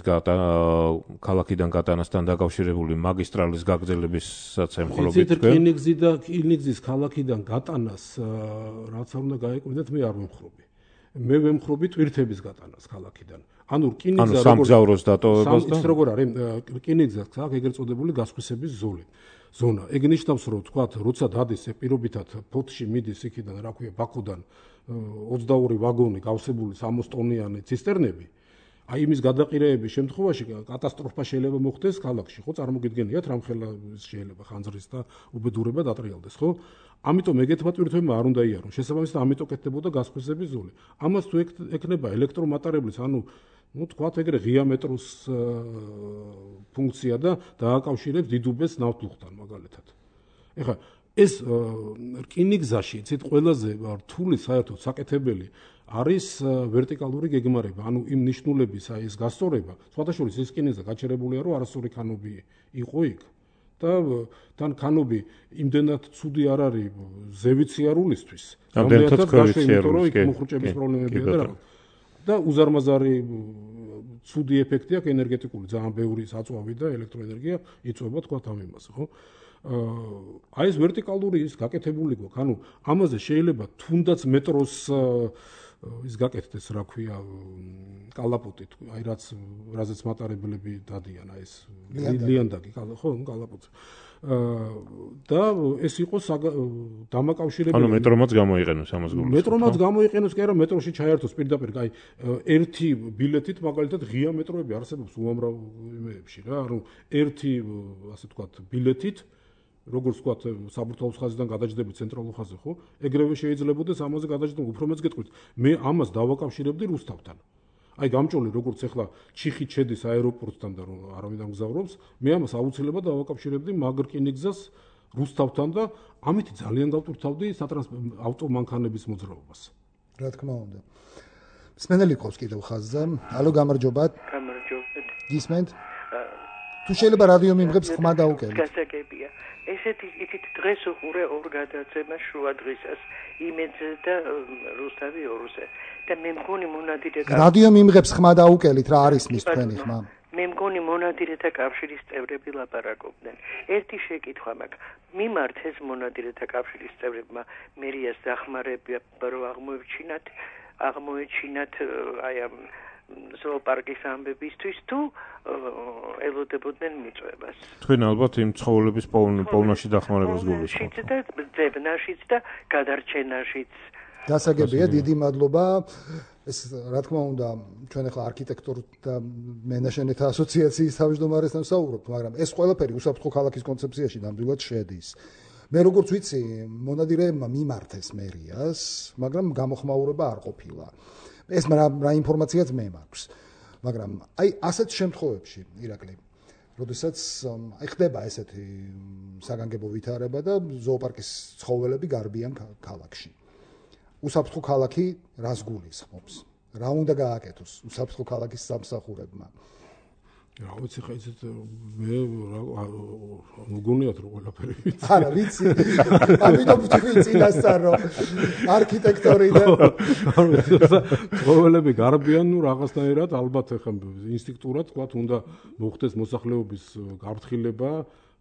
ქალაქიდან გატანასთან დაკავშირებული მაგისტრალის გაგრძელებისაც ემხრობთ თქვენ. რკინიგზის ქალაქიდან გატანას რაც უნდა გაეკვირდეთ, მე არ ვემხრობი. მე ვემხრობი ტვირთების გატანას ქალაქიდან. ანუ რკინიგზა სამგზავროს დატოვებას და როგორ არის რკინიგზა აქ ეგრეთ წოდებული გასხვისების ზონა. ეგ ნიშნავს რომ თქვათ, როცა დადის პირობითად ფოთში მიდის იქიდან, რა ქვია, ბაქოდან 22 ვაგონი გავსებული 60 ტონიანი ცისტერნები, აი იმის გადაყირეების შემთხვევაში კატასტროფა შეიძლება მოხდეს ქალაქში, ხო? წარმოგიდგენიათ რამხელა შეიძლება ხანძრის და უბედურება დატრიალდეს, ხო? ამიტომ ეგეთმა ტვირთებმა არ უნდა იარონ. შესაბამისად, ამიტომ კეთდებოდა გასხვისების ზოლი. ამას თუ ექნება ელექტრომატარებლის, ანუ თქვათ ეგრე ღია მეტროს ფუნქცია და დააკავშირებს დიდუბეს ნავთლუღთან მაგალითად. ეხლა ეს რკინიგზაში, იცით, ყველაზე რთული საერთოდ საკეთებელი არის ვერტიკალური გეგმარება, ანუ იმ ნიშნულების აი ეს გასწორება. სხვადასხვა ის რკინიგზა გაჩერებულია, რომ არასწორი ქანები იყო იქ. და თან ქანები იმდენად ცუდი არ არის ზევიციარულისთვის, რამდენადაც ქვევიციარულის მოხრუჭების პრობლემებია და რაღაც. და უზარმაზარი ცუდი ეფექტი აქვს ენერგეტიკული, ძალიან ბევრი საწვავი და ელექტროენერგია იწვება თქვათ ამ იმაზე, ხო? აი ეს ვერტიკალური ის გაკეთებული გვაქვს, ანუ ამაზე შეიძლება თუნდაც მეტროს ის გაკეთდეს, რა ქვია, კალაპოტი, აი რაზეც მატარებლები დადიან, აი ეს ლიანდაგი, ხო, კალაპოტი. და ეს იყოს დამაკავშირებელი. ანუ მეტრომაც გამოიყენოს ამას გულისხმობთ. მეტრომაც გამოიყენოს, კი არა, მეტროში ჩაერთოს პირდაპირ, აი ერთი ბილეთით მაგალითად ღია მეტროები არსებობს უამრავ იმეებში რა, ანუ ერთი ასე ვთქვათ ბილეთით როგორც ვთქვათ, საბურთალოს ხაზიდან გადაჯდები ცენტრალურ ხაზზე, ხო? ეგრევე შეიძლებაოდეს ამაზე გადაჯდები, უფრო მეც გეტყვით. მე ამას დავაკავშირებდი რუსთავთან. აი გამჭოლი როგორც ახლა ჩიხით შედის აეროპორტთან და რომ არავინ ამგზავრობს, მე ამას აუცილებლად დავაკავშირებდი მაგ რკინიგზას რუსთავთან და ამით ძალიან გავტვირთავდი ავტომანქანების მოძრაობას. რა თქმა უნდა. მსმენელი ყავს კიდევ ხაზზე. ალო, გამარჯობათ. გამარჯობათ. გისმენთ? თუ შეიძლება რადიო მიმღებს ხმა დაუკელით. გასაგებია. ესეთი იცით დღეს უყურე ორ გადაცემას შუა დღისას იმედზე და რუსთავი ორზე და მე მგონი მონადირე რადიო მიმღებს ხმა დაუკელით, რა არის მის თქვენი ხმა? მე მგონი მონადირეთა კავშირის წევრები ლაპარაკობდნენ. ერთი შეკითხვა მაქვს. მიმართ ეს მონადირეთა კავშირის წევრებმა მერიას დახმარება რო აღმოეჩინათ აი ამ ზოოპარკის ამბებისთვის თუ ელოდებოდნენ მიწვევას. თქვენ ალბათ იმ ცხოველების პოვნაში დახმარებას გულისხმობთ. შიც და ძებნაშიც და გადარჩენაშიც. დასაგებია, დიდი მადლობა. ეს რა თქმა უნდა ჩვენ ახლა არქიტექტორთა მენაჟერთა ასოციაციის თავმჯდომარესთან ვსაუბრობთ, მაგრამ ეს ყველაფერი უსაფრთხო ქალაქის კონცეფციაში ნამდვილად შედის. მე როგორც ვიცი, მონადირეებმა მიმართეს მერიას, მაგრამ გამოხმაურება არ ყოფილა. ეს რა ინფორმაციაც მე მაქვს. მაგრამ აი ასეთ შემთხვევებში, ირაკლი, როდესაც ხდება ესეთი საგანგებო ვითარება და ზოოპარკის ცხოველები გარბიან ქალაქში. უსაფრთხო ქალაქი რას გულისხმობს? რა უნდა გააკეთოს უსაფრთხო ქალაქის სამსახურებმა? რა ვიცი, ხა ისეთ მე მოგონიათ რომ ყველაფერი ვიცი. არა, ვიცი. ამიტომ თქვი წინასწარ რომ არქიტექტორი და ცხოველები გარბიან, ნუ რაღაცნაირად ალბათ ხა ინსტინქტურად თქვა უნდა მოხდეს მოსახლეობის გაფრთხილება,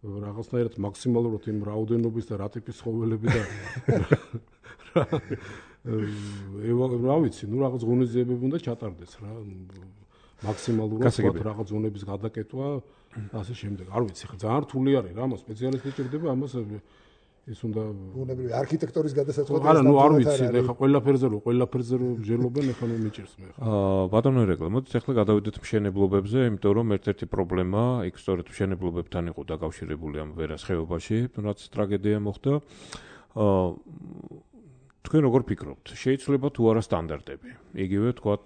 რაღაცნაირად მაქსიმალურად იმ რაოდენობის და რა ტიპის ცხოველები და რა ვიცი, ნუ რაღაც ღონისძიებები უნდა ჩატარდეს რა. მაქსიმალურად რაღაც ზონების გადაკეთვა ასე შემდეგ. არ ვიცი, ხა ძალიან რთული არის რა, ამას სპეციალისტი ჭირდება, ამას ის უნდა ბუნებრივი არქიტექტორის გადასაწყვეტი. არა, ნუ არ ვიცი, ხა ყველაფერზე რომ ვჟელობენ, ხა ნუ მიჭირს მე. ბატონო ერეკლე, მოდით ახლა გადავიდეთ მშენებლობებზე, იმიტომ რომ ერთ-ერთი პრობლემა იქ სწორედ მშენებლობებთან იყო დაკავშირებული ამ ვერას ხეობაში, რაც ტრაგედია მოხდა. თქვენ როგორ ფიქრობთ, შეიძლება თუ არა სტანდარტები? იგივე თქვათ,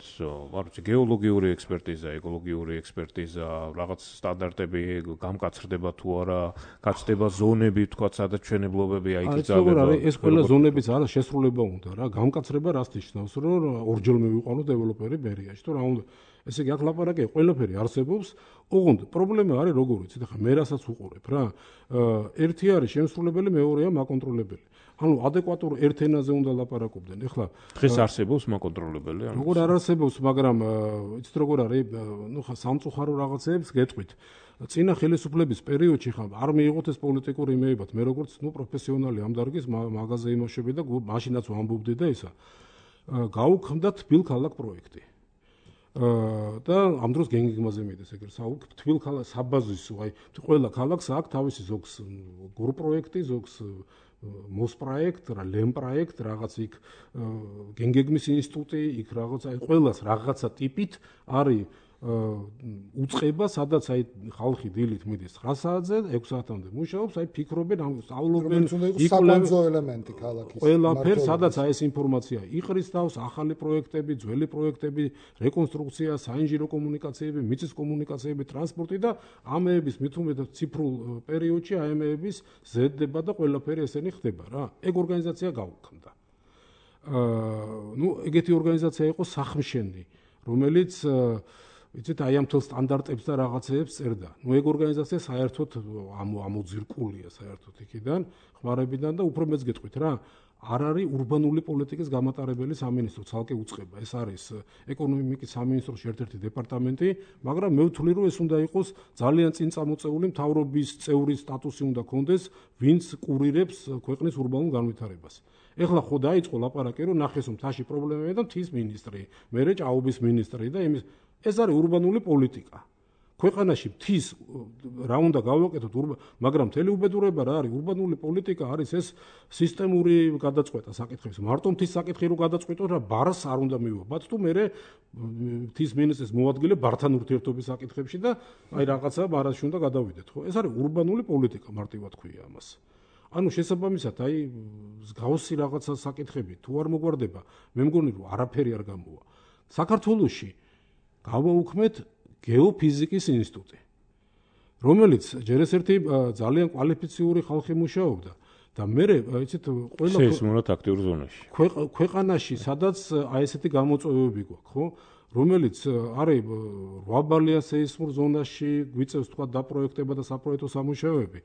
არ ვიცი, გეოლოგიური ექსპერტიზა, ეკოლოგიური ექსპერტიზა, რაღაც სტანდარტები გამკაცრდება თუ არა, გაცდება ზონები, თქვათ, სადაც მშენებლობები აიწავება. ეს ყველა ზონებიც არა შესრულება უნდა რა, გამკაცრება რას ნიშნავს, რომ ორჯერ მივიყვანო დეველოპერი ბერიაში, თუ რა უნდა. ესე იგი, აქ ლაპარაკია, ყველაფერი არსებობს, ოღონდ პრობლემა არის როგორ ვიცით, ახლა მე რასაც უყურებ რა. ერთი არის შემსრულებელი, მეორეა მაკონტროლებელი. ანუ ადეკვატურ ერთ ენაზე უნდა ლაპარაკობდნენ. ეხლა დღეს არსებობს მაკონტროლებელი? როგორ არ არსებობს, მაგრამ იცით როგორ არის, ნუ ხა სამწუხარო რაღაცეებს გეტყვით. წინა ხელისუფლების პერიოდში ხა არ მიიღოთ ეს პოლიტიკური იმეებად. მე როგორც ნუ პროფესიონალი ამ დარგის მაღაზია იმუშავე და მაშინაც ვამბობდი და ისა. გაუქმდა თბილ ქალაქ პროექტი. და ამ დროს გენგიგმაზე მიდის ეგრე თბილ ქალაქ საბაზისო, აი ყველა ქალაქს აქვს თავისი ზოგს გურ პროექტი, ზოგს მოს პროექტ, რა ლემ პროექტ, რაღაც იქ გენგეგმის ინსტიტუტი, იქ რაღაც აი ყველას რაღაცა ტიპით არის უწყება, სადაც აი ხალხი დილით მიდის 9 საათზე, 6 საათამდე მუშაობს, აი ფიქრობენ, სწავლობენ, საკონცო ელემენტი ქალაქის. ყველაფერ, სადაც აი ეს ინფორმაცია იყრის თავს, ახალი პროექტები, ძველი პროექტები, რეკონსტრუქცია, საინჟინრო კომუნიკაციები, მიწის კომუნიკაციები, ტრანსპორტი და ამეების მithumetat ციფრულ პერიოდში აი ამეების ზრდება და ყველაფერი ესენი ხდება რა. ეგ ორგანიზაცია გაუქმდა. ნუ ეგეთი ორგანიზაცია იყო სახმშენი, რომელიც იცით აი ამ თელ სტანდარტებს და რაღაცეებს წერდა. ნუ ეგ ორგანიზაცია საერთოდ ამოძირკულია საერთოდ იქიდან, ხმარებიდან და უფრო მეც გეტყვით რა. არ არის ურბანული პოლიტიკის გამატარებელი სამინისტრო, ცალკე უწყება. ეს არის ეკონომიკის სამინისტროს ერთ-ერთი დეპარტამენტი, მაგრამ მე ვთვლი რომ ეს უნდა იყოს ძალიან წინ წამოწეული მთავრობის წევრის სტატუსი უნდა კონდეს, ვინც კურირებს ქვეყნის ურბანულ განვითარებას. ეხლა ხო დაიწყო ლაპარაკი რომ ნახეს მთაში პრობლემებია და მთის მინისტრი, მერე ჭაობის მინისტრი და იმის ეს არის ურბანული პოლიტიკა. ქვეყანაში მთის რა უნდა გავაკეთოთ, მაგრამ მთელი უბედურება რა არის, ურბანული პოლიტიკა არის ეს სისტემური გადაწყვეტა საკითხების. მარტო მთის საკითხი რო გადაწყვეტოთ რა ბარს არ უნდა მივაბათ თუ მე მთის მინისტრის მოადგილე ბართან ურთიერთობის საკითხებში და აი რაღაცა ბარაში უნდა გადავიდეთ, ხო? ეს არის ურბანული პოლიტიკა, მარტივად ქვია ამას. ანუ შესაბამისად, აი მსგავსი რაღაცა საკითხები თუ არ მოგვარდება, მე მგონი რომ არაფერი არ გამოვა. საქართველოში გავაუქმეთ გეოფიზიკის ინსტიტუტი, რომელიც ჯერ ერთი ძალიან კვალიფიციური ხალხი მუშაობდა და მე იცით ყველა სეისმურად აქტიურ ზონაში. ქვეყანაში, სადაც აი ესეთი გამოწვევები გვაქვს, ხო? რომელიც არის 8 ბალია სეისმურ ზონაში, გვიწევს თქვა დაპროექტება და საპროექტო სამუშაოები.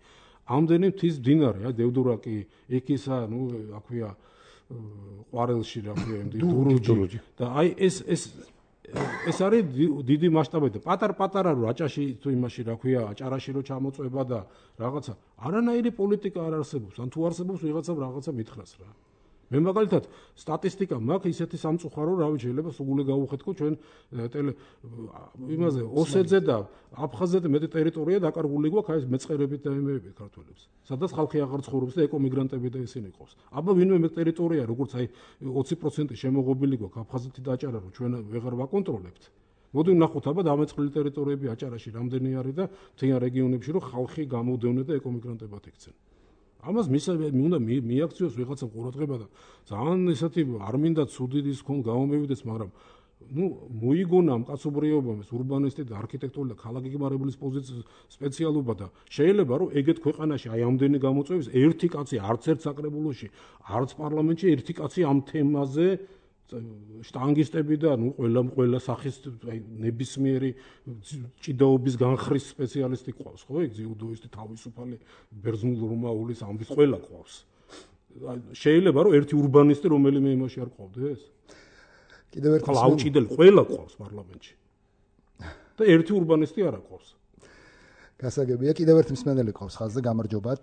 ამდენი მთის მდინარე, აი დევდურაკი, ეკისა, ნუ აქვია ყვარელში რა ქვია, დურუჯი და აი ეს არის დიდი მასშტაბები და პატარ-პატარა რო აჭაში თუ იმაში რა ქვია, აჭარაში რო ჩამოწვება და რაღაცა არანაირი პოლიტიკა არ არსებობს, ან თუ არსებობს ვიღაცამ რაღაცა მითხრას რა. მე მაგალითად სტატისტიკა მაქვს ისეთი სამწუხარო, რავი, შეიძლება სულ გავუხეთქო ჩვენ იმაზე ოსეთზე და აფხაზეთზე მეტი ტერიტორია დაკარგული გვაქვს აი მეწყერებით და იმეებით ქართველებს. სადაც ხალხი აღარ ცხოვრობს და ეკომიგრანტები და ისინი ყავს. აბა ვინმე მე ტერიტორია როგორც აი 20% შემოღობილი გვაქვს აფხაზეთი და აჭარა რომ ჩვენ ვეღარ ვაკონტროლებთ. მოდი ვნახოთ აბა დამეწყრილი ტერიტორიები აჭარაში რამდენი არის და მთიან რეგიონებში რომ ხალხი გამოდევნე და ეკომიგრანტებად იქცენ. ამას უნდა მიაქციოს ვიღაცა ყურადღება და ძალიან ისეთი არ მინდა ცუდი ის ხომ გამომევიდეს, მაგრამ მოიგონა ამ კაცობრიობამ ეს ურბანისტი და არქიტექტორი და ქალაქგეგმარებლის პოზიციის სპეციალობა და შეიძლება რომ ეგეთ ქვეყანაში აი ამდენი გამოწვევის ერთი კაცი არც ერთ საკრებულოში, არც პარლამენტში ერთი კაცი ამ თემაზე შტანგისტები და ყველა სახის აი ნებისმიერი ჭიდაობის განხრის სპეციალისტი ყავს, ხო? ეგ ძიუდოისტი, თავისუფალი, ბერძნულ-რომაულის ამბის ყველა ყავს. შეიძლება რომ ერთი ურბანისტი რომელიმე იმაში არ ყავდეს? კიდევ ერთი აუჭიდელი ყველა ყავს პარლამენტში. და ერთი ურბანისტი არ ყავს. გასაგებია, კიდევ ერთი მსმენელი ყავს ხაზზე, გამარჯობათ.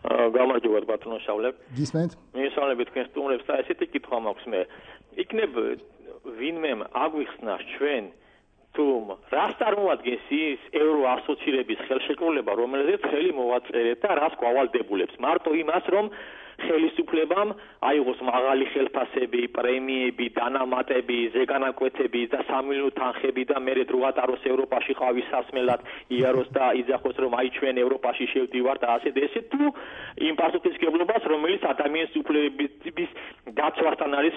გამარჯობათ ბატონო შავლებ. გისმენთ? მისალები თქვენ სტუმრებს და ესეთი კითხვა მაქვს მე. იქნებ ვინმე აგვიხსნა ჩვენ თუ რას წარმოადგენს ის ევრო ასოცირების ხელშეკრულება, რომელზეც ხელი მოვაწერეთ და რას გვავალდებულებს. მარტო იმას, რომ ხელისუფლებამ აიღოს მაღალი ხელფასები, პრემიები, დანამატები, ზეგანაკვეთები და სამილიონო თანხები და მერე დროატაროს ევროპაში ყავის სასმელად იაროს და იძახოს რომ აი ჩვენ ევროპაში შევდივართ და ასე და ესე თუ იმ პასუხისმგებლობას რომელიც ადამიანის უფლებების დაცვასთან არის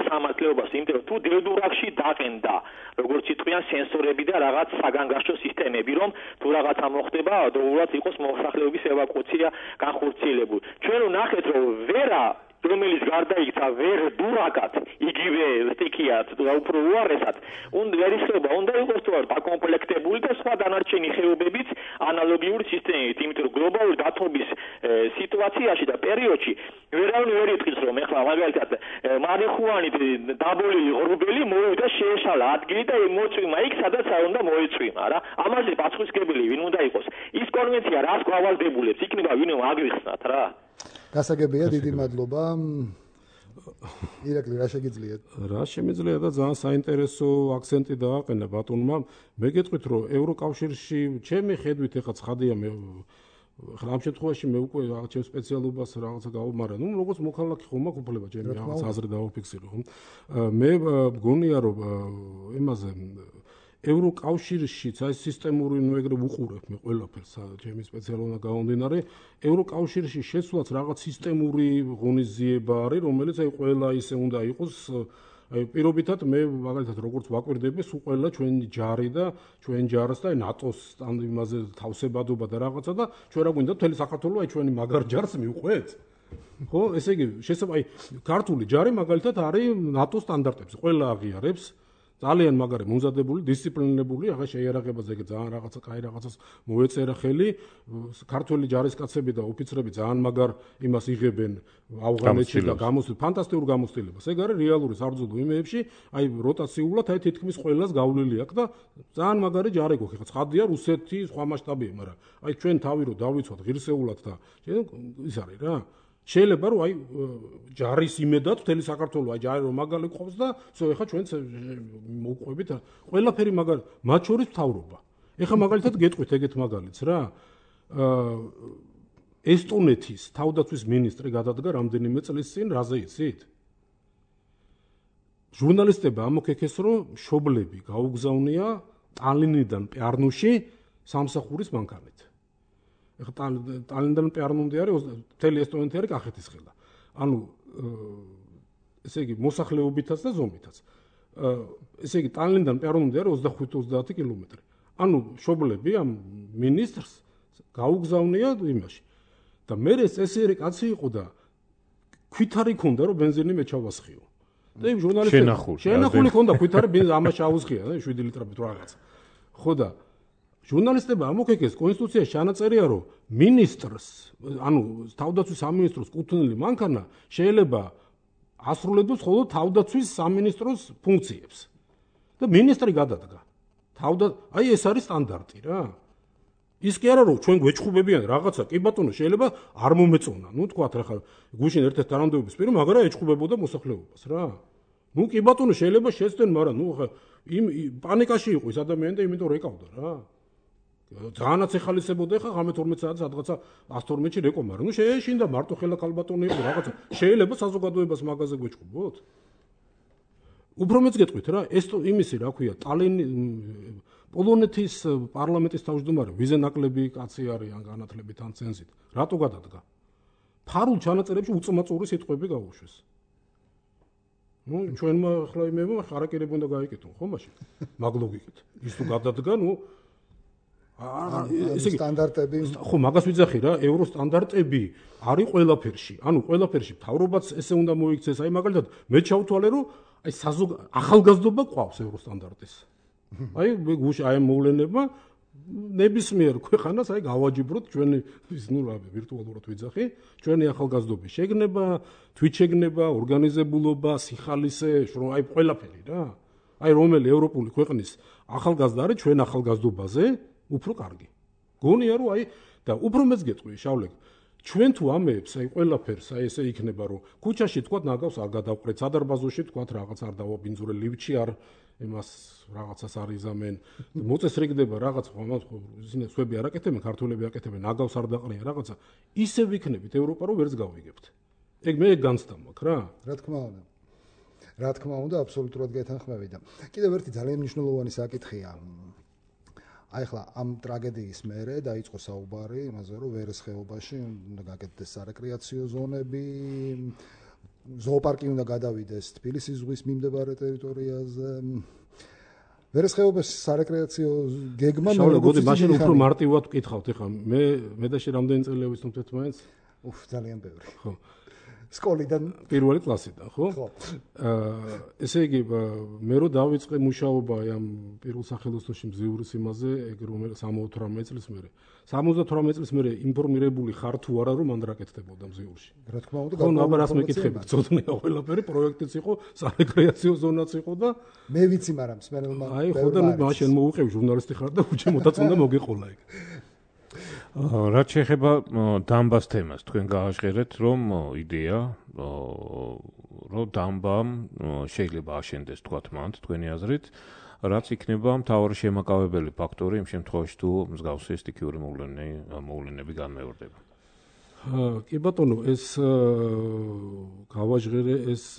სამართლეობას, იმიტომ რომ თუ დედურაგში დაყენდა როგორც იტყვიან სენსორები და რაღაც საგანგაშტო სისტემები, რომ თუ რაღაცა მოხდება, ადროულად იყოს მოსახლეობის ევაკუაცია განხორციელებული. ჩვენ ნახეთ რომ ვერა რომელიც გარდაიქცა ვერ დურაკად იგივე სტიქიათ და უფრო უარესად ვერისხება უნდა იყოს თუ არ დაკომპლექტებული და სხვა დანარჩენი ხეობებიც ანალოგიური სისტემით, იმიტომ რომ გლობალური დათბობის სიტუაციაში და პერიოდში ვერავინ ვერ იტყვის რომ ეხლა მაგალითად მარიხუანი დაბოლილი ღრუბელი მოვიდა შეეშალა ადგილი და მოწვიმა იქ სადაც არ უნდა მოეწვიმა რა. ამაზე პასუხისმგებელი ვინ უნდა იყოს? ის კონვენცია რას გვავალდებულებს? იქნება ვინმე აგვიხსნათ რა. გასაგებია, დიდი მადლობა. ირაკლი, რა შეგიძლიათ? რა შემიძლია და ძალიან საინტერესო აქცენტი დააყენა ბატონმა. მე გეტყვით რომ ევროკავშირში ჩემი ხედვით ეხლა ცხადია მე ამ შემთხვევაში მე უკვე ჩემ სპეციალობას რაღაცა გავუმარა. როგორც მოქალაქე ხომ მაქვს უფლება ჩემი რაღაც აზრი დავაფიქსირო, ხო? მე მგონია რომ იმაზე ევროკავშირშიც აი სისტემური ეგრე უყურებ მე ყველაფერს ჩემი სპეციალობა გამომდინარე ევროკავშირში შესვლაც რაღაც სისტემური ღონისძიება არის რომელიც აი ყველა ისე უნდა იყოს აი პირობითად მე მაგალითად როგორც ვაკვირდები სულ ყველა ჩვენი ჯარი და ჩვენ ჯარს და ნატოს ამ იმაზე თავსებადობა და რაღაცა და ჩვენ რა გვინდა მთელი საქართველოს აი ჩვენი მაგარ ჯარს მივყვეთ ხო ესე იგი შესაძლოა აი ქართული ჯარი მაგალითად არის ნატოს სტანდარტებზე ყველა აღიარებს ძალიან მაგარი მომზადებული, დისციპლინირებული, ახლა შეიარაღებაზე ძალიან რაღაცა კაი რაღაცას მოეწერა ხელი, ქართველი ჯარისკაცები და ოფიცრები ძალიან მაგარ იმას იღებენ ავღანეთში და გამოსtildeებს, ფანტასტიკურ გამოსtildeებს. ეგ არის რეალური საბრძოლო იმეებში, აი როტაციულად აი თითქმის ყველას გავლილი აქვს და ძალიან მაგარი ჯარი გვაქვს. ახლა ცხადია რუსეთი სხვა მასშტაბია, მაგრამ აი ჩვენ თავი რო დავიცვათ ღირსეულად და ის არის რა. შეიძლება რომ აი ჯარის იმედად მთელი საქართველოს აი ჯარი რომ მაგალი ყობს და всё ეხა ჩვენც მოვყვებით ყველაფერი მაგარი მათ შორის მთავრობა. ეხა მაგალითად გეტყვით ეგეთ მაგალითს რა. ესტონეთის თავდაცვის მინისტრი გადადგა რამდენიმე წლის წინ რაზე იცით? ჟურნალისტებმა ამოქექეს რომ მშობლები გაუგზავნია ტალინიდან პიარნუში სამსახურის მანქანით. ეხლა ტალინიდან პიარნუმდე არის მთელი ესტონეთი არის კახეთის ხელა. ანუ ესე იგი მოსახლეობითაც და ზომითაც. ესე იგი ტალინიდან პიარნუმდე არის 25-30 კილომეტრი. ანუ მშობლები ამ მინისტრს გაუგზავნია იმაში. და მე ეს წესიერი კაცი იყო და ქვითარი ქონდა რომ ბენზინი მე ჩავასხიო. და იმ ჟურნალისტებს შენახული ქონდა ქვითარი ბენზინი ამას ჩაუსხია 7 ლიტრებით რაღაც. ხო და ჟურნალისტებმა ამოქექეს კონსტიტუციაში ჩანაწერია რომ მინისტრს, ანუ თავდაცვის სამინისტროს კუთვნილი მანქანა შეიძლება ასრულებდეს მხოლოდ თავდაცვის სამინისტროს ფუნქციებს. და მინისტრი გადადგა. აი ეს არის სტანდარტი რა. ის კი არა რომ ჩვენ გვეჭხუბებიან რაღაცა, კი ბატონო, შეიძლება არ მომეწონა. ნუ თქვათ რა ხარ, გუშინ ერთ-ერთ თანამდებობის პირი, მაგრამ ეჭხუბებოდა მოსახლეობას რა. ნუ კი ბატონო, შეიძლება შეცდენ, მაგრამ ნუ ხა იმ პანიკაში იყო ეს ადამიანი და იმიტომ რეკავდა რა. ძალიანაც ეხალისებოდა ხა 12 საათს სადღაცა 112-ში რეკო, მაგრამ ნუ შეეშინდა მარტო ხელა ქალბატონი იყო რაღაცა. შეიძლება საზოგადოებას მაგაზე გვეჭხუბოთ? უფრო მეც გეტყვით რა, ეს იმისი რა ქვია, პოლონეთის პარლამენტის თავმჯდომარე ვიზე ნაკლები კაცი არის ან განათლებით ან ცენზით. რატო გადადგა? ფარულ ჩანაწერებში უწმაწური სიტყვები გაუშვეს. ნუ ჩვენმა ახლა იმემა ხარაკირები უნდა გაიკეთონ, ხო მაშინ? მაგ ლოგიკით. ის თუ გადადგა, ნუ ესე იგი სტანდარტები ხო მაგას ვიძახი რა, ევროსტანდარტები არის ყველაფერში. ანუ ყველაფერში მთავრობაც ესე უნდა მოიქცეს. აი მაგალითად მე ჩავთვალე რომ აი ახალგაზრდობა ყავს ევროსტანდარტის. აი გუშინ აი მოვლენებმა ნებისმიერ ქვეყანას აი გავაჯიბროთ ჩვენი ის ნუ რა ვირტუალურად ვიძახი, ჩვენი ახალგაზრდობის შეგნება, თვითშეგნება, ორგანიზებულობა, სიხალისე, რომ აი ყველაფერი რა. აი რომელი ევროპული ქვეყნის ახალგაზრდა არის ჩვენ ახალგაზრდობაზე უფრო კარგი. გონია რომ აი და უფრო მეც გეტყვი შავლე ჩვენ თუ ამეებს აი ყველაფერს აი ესე იქნება რომ ქუჩაში თქვა ნაგავს არ გადავყრეთ სადარბაზოში თქვა რაღაც არ დავაბინძურე ლიფტში არ იმას რაღაცას არ იზამენ მოწესრიგდება რაღაც ისინი სხვები არ აკეთებენ ქართველები აკეთებენ ნაგავს არ დაყრიან რაღაცა ისე ვიქნებით ევროპა რომ ვერც გავიგებთ ეგ მე განცდა მაქვს რა რა თქმა უნდა აბსოლუტურად გეთანხმები და კიდევ ერთი ძალიან მნიშვნელოვანი საკითხია აი ახლა ამ ტრაგედიის მერე დაიწყო საუბარი იმაზე რომ ვერეს ხეობაში უნდა გაკეთდეს სარეკრეაციო ზონები ზოოპარკი უნდა გადავიდეს თბილისის ზღვის მიმდებარე ტერიტორიაზე ვერეს ხეობის სარეკრეაციო გეგმა მოგოდი მაშინ უფრო მარტივად ვკითხავთ ეხლა მე და შე რამდენი წელია ვისწავლეთ მაინც ძალიან ბევრი ხო სკოლიდან პირველი კლასიდან ხო? ესე იგი მე რო დავიწყე მუშაობა ამ პირველ სახელოსნოში მზიურის იმაზე, ეგ რომ 78 წლის მერე 78 წლის მერე ინფორმირებული ხარ თუ არა რომ მან რა კეთდებოდა მზიურში. რა თქმა უნდა, ხო, აბა რას მეკითხები? წოდნია ყველაფერი, პროექტიც იყო, სარეკრეაციო ზონაც იყო და მე ვიცი, მაგრამ მსმენელმა აი ხო და მაშინ მოუყევი ჟურნალისტი ხარ და უჩემოდაც უნდა მოგეყოლა ეგ. რაც შეეხება დამბას თემას, თქვენ გააჟღერეთ, რომ იდეა, რომ დამბამ შეიძლება აშენდეს თქვათ მანდ თქვენი აზრით, რაც იქნება მთავარი შემაკავებელი ფაქტორი იმ შემთხვევაში თუ მსგავსი სტიქიური მოვლენები განმეორდება. კი ბატონო, ეს გავაჟღერე ეს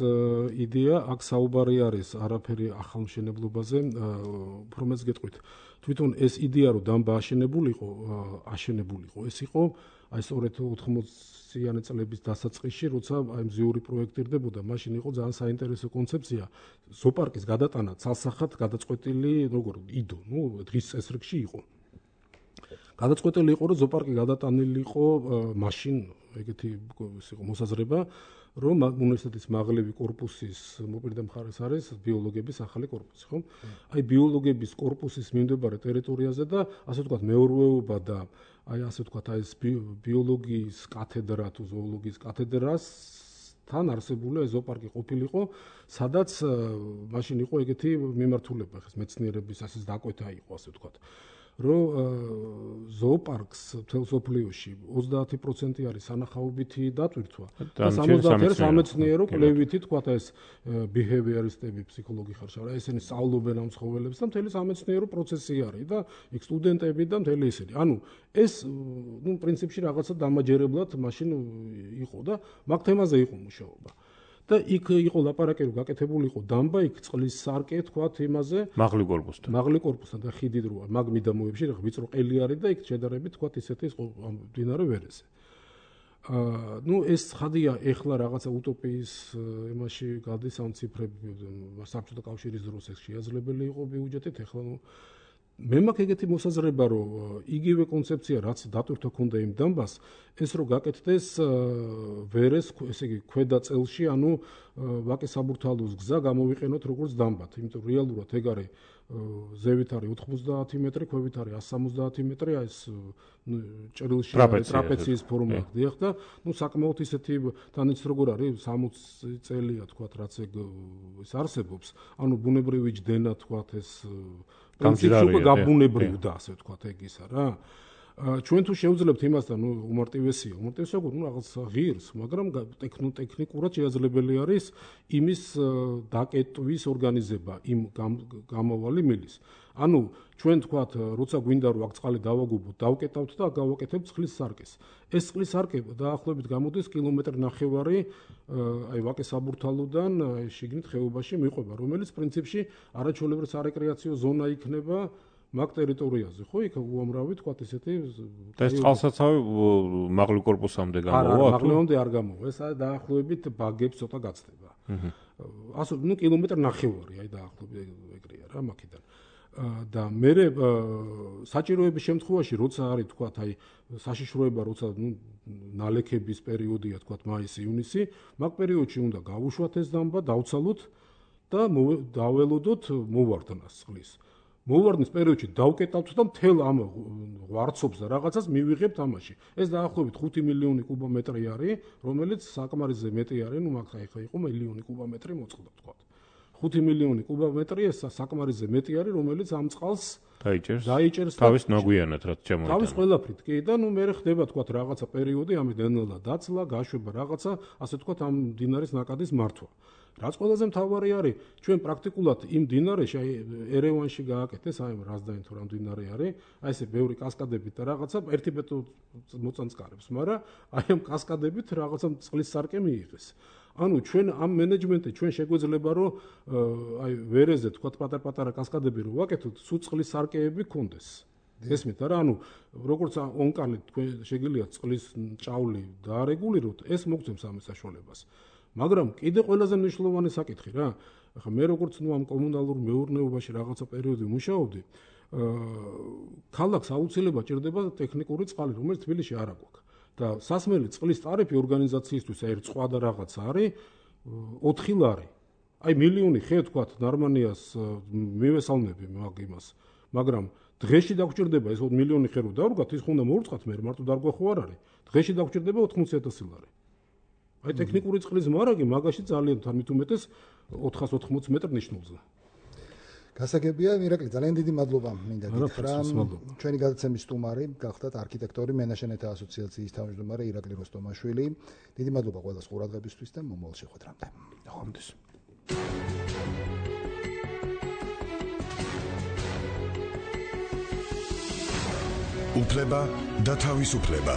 იდეა, აქ საუბარი არის არაფერი ახალმშენებლობაზე, უფრო მეც გეტყვით. თვითონ ეს იდეა რომ დამბა აშენებულიყო, ეს იყო აი სწორედ 80-იანი წლების დასაწყისში, როცა აი მზიური პროექტირდებოდა, მაშინ იყო ძალიან საინტერესო კონცეფცია ზოოპარკის გადატანა ცალსახად გადაწყვეტილი, როგორ იდო, ნუ დღის წესრიგში იყო. გადაწყვეტილი იყო რომ ზოოპარკი გადატანილი იყო მაშინ ეგეთი ის იყო მოსაზრება რომ უნივერსიტეტის მაღლივი კორპუსის მოპირდე მხარეს არის ბიოლოგების ახალი კორპუსი, ხო? აი ბიოლოგების კორპუსის მიმდებარე ტერიტორიაზე და ასე ვთქვათ მეურვეობა და აი ასე ვთქვათ აი ეს ბიოლოგიის კათედრა თუ ზოოლოგიის კათედრას თან არსებული ზოოპარკი ყოფილიყო, სადაც მაშინ იყო ეგეთი მიმართულება, ხეს მეცნიერების ასეც დაკვეთა იყო, ასე ვთქვათ. რომ ზოოპარკს თელსოფლიოში 30% არის სანახაობითი დატვირთვა და 70% სამეცნიერო კვლევითი თქვა ეს ბიჰევიორისტები ფსიქოლოგი ხარშა რა ესენი სწავლობენ ამ ცხოველებს და მთელი სამეცნიერო პროცესი არის და იქ სტუდენტები და მთელი ისინი ანუ ეს ნუ პრინციპში რაღაცა დამაჯერებლად მაშინ იყო და მაგ თემაზე იყო მუშაობა და იქ იყო ლაპარაკი რომ გაკეთებულიყო დამბა იქ წყლის სარკე თქვათ იმაზე მაღლი კორპუსთან და ხიდი როა მაგ მიდამოებში რა ვიწრო ყელი არის და იქ შედარებით თქვათ ისეთი მდინარე ვერეზე ნუ ეს ხადია ეხლა რაღაცა утоპიის იმაში გადის ამ ციფრები საბჭოთა კავშირის დროს ეს შეაძლებელი იყო ბიუჯეტით ეხლა ნუ მე მაქვს ეგეთი მოსაზრება რომ იგივე კონცეფცია რაც დატვირთვა ქონდა იმ დამბას ეს რომ გაკეთდეს ვერეს ესე იგი ქვედა წელში ანუ ვაკის საბურთალოს გზა გამოვიყენოთ როგორც დამბად იმიტომ რომ რეალურად ეგ არის ზევით არის 90 მეტრი ქვევით არის 170 მეტრი აი ეს ჭრილში ტრაპეციის ფორმა ხდიახ და ნუ საკმაოდ ისეთი თანაც როგორ არის 60 წელია თქვათ რაც ეგ ის არსებობს ანუ ბუნებრივი ჯდენა თქვათ ეს გამჭირარია გაბუნებრივდა ასე ვთქვათ ეგ ისა რა ჩვენ თუ შევძლებთ იმასთან, უმარტივესია, რაღაც ღირს, მაგრამ ტექნიკურად შესაძლებელი არის იმის დაკეტვის ორგანიზება იმ გამოვალი მილის. ანუ ჩვენ თქვათ, როცა გვინდა რომ აქ წყალი დავაგუბოთ, დავკეტავთ და გავაკეთებთ წყლის სარკეს. ეს წყლის სარკე დაახლოებით გამოდის კილომეტრი ნახევარი აი ვაკეს საბურთალოდან შიგნით ხეობაში მიყვება, რომელიც პრინციპში არაჩვეულებრივი სარეკრეაციო ზონა იქნება მაგ ტერიტორიაზე, ხო? იქ უამრავი თქვათ ესეთი და ეს წყალსაცავი მაღლი კორპუსამდე გამოვა? მაღლამდე არ გამოვა. ეს დაახლოებით ბაგებს ცოტა გაცდება. ასე კილომეტრი ნახევარი, აი დაახლოებით ეგრეა რა მაქედან. და მე საჭიროების შემთხვევაში როცა არის თქვათ აი საშიშროება როცა ნალექების პერიოდია თქვათ მაისი-ივნისი, მაგ პერიოდში უნდა გავუშვათ ეს დამბა, დავცალოთ და დაველოდოთ მოვარდნას წყლის. მოვარდნის პერიოდში დავკეტავთ და მთელ ამ ღვარცობს და რაღაცას მივიღებთ ამაში. ეს დაახლოებით 5 მილიონი კუბომეტრი არის, რომელიც საკმარისზე მეტი არის, მაგ ხა იყო მილიონი კუბომეტრი მოწყდა თქვათ. 5 მილიონი კუბომეტრი ეს საკმარისზე მეტი არის, რომელიც ამ წყალს დაიჭერს თავის ნაგვიანად რაც შემოვიდა. თავის ყველაფრით კი და მე ხდება თქვათ რაღაცა პერიოდი, ამით ნელ-ნელა დაცლა, გაშვება რაღაცა, ასე თქვათ ამ დინარის ნაკადის მართვა. რაც ყველაზე მთავარი არის, ჩვენ პრაქტიკულად იმ დინარეში, აი ერევანში გააკეთეს, აი რაზდაინ თუ რამ დინარე არის, აი ესე ბევრი კასკადებით და რაღაცა ერთი მოწანწკარებს, მაგრამ აი ამ კასკადებით რაღაცა წყლის სარკე მიიღეს. ანუ ჩვენ ამ მენეჯმენტი ჩვენ შეგვეძლება რომ აი ვერეზე თქვათ პატარ-პატარა კასკადები რო ვაკეთოთ, სულ წყლის სარკეები გქონდეს. ესმით არა, ანუ როგორც ონკანი თქვენ შეგიძლიათ წყლის ჭავლი დაარეგულიროთ, ეს მოგცემს ამ საშუალებას. მაგრამ კიდე ყველაზე მნიშვნელოვანი საკითხი რა, ახლა მე როგორც ამ კომუნალურ მეურნეობაში რაღაცა პერიოდი მუშაობდი, ქალაქს აუცილებლად ჭირდება ტექნიკური წყალი, რომელიც თბილისში არ აქვს. და სასმელი წყლის ტარიფი ორგანიზაციისთვის ერთ სხვა და რაღაც არის 4 ლარი. აი მილიონი ხე თქვათ ნარმანიას მივესალმები მაგ იმას. მაგრამ დღეში დაგჭირდება ეს მილიონი ხე რო დავრგათ, ის ხუნდა მოურწყათ მე მარტო დარგვა ხო არ არის. დღეში დაგჭირდება 80,000 ლარი. აი ტექნიკური წყლის მარაგი მაგაში ძალიან თან მით უმეტეს 480 მეტრ ნიშნულზე. გასაგებია, ირაკლი, ძალიან დიდი მადლობა მინდა გითხრა. ჩვენი გადაცემის სტუმარი გახდათ არქიტექტორი, მენაშენეთა ასოციაციის თავმჯდომარე ირაკლი როსტომაშვილი. დიდი მადლობა ყველას ყურადღებისთვის და მომავალ შეხვედრამდე. ხვამდის. უფლება და თავისუფლება.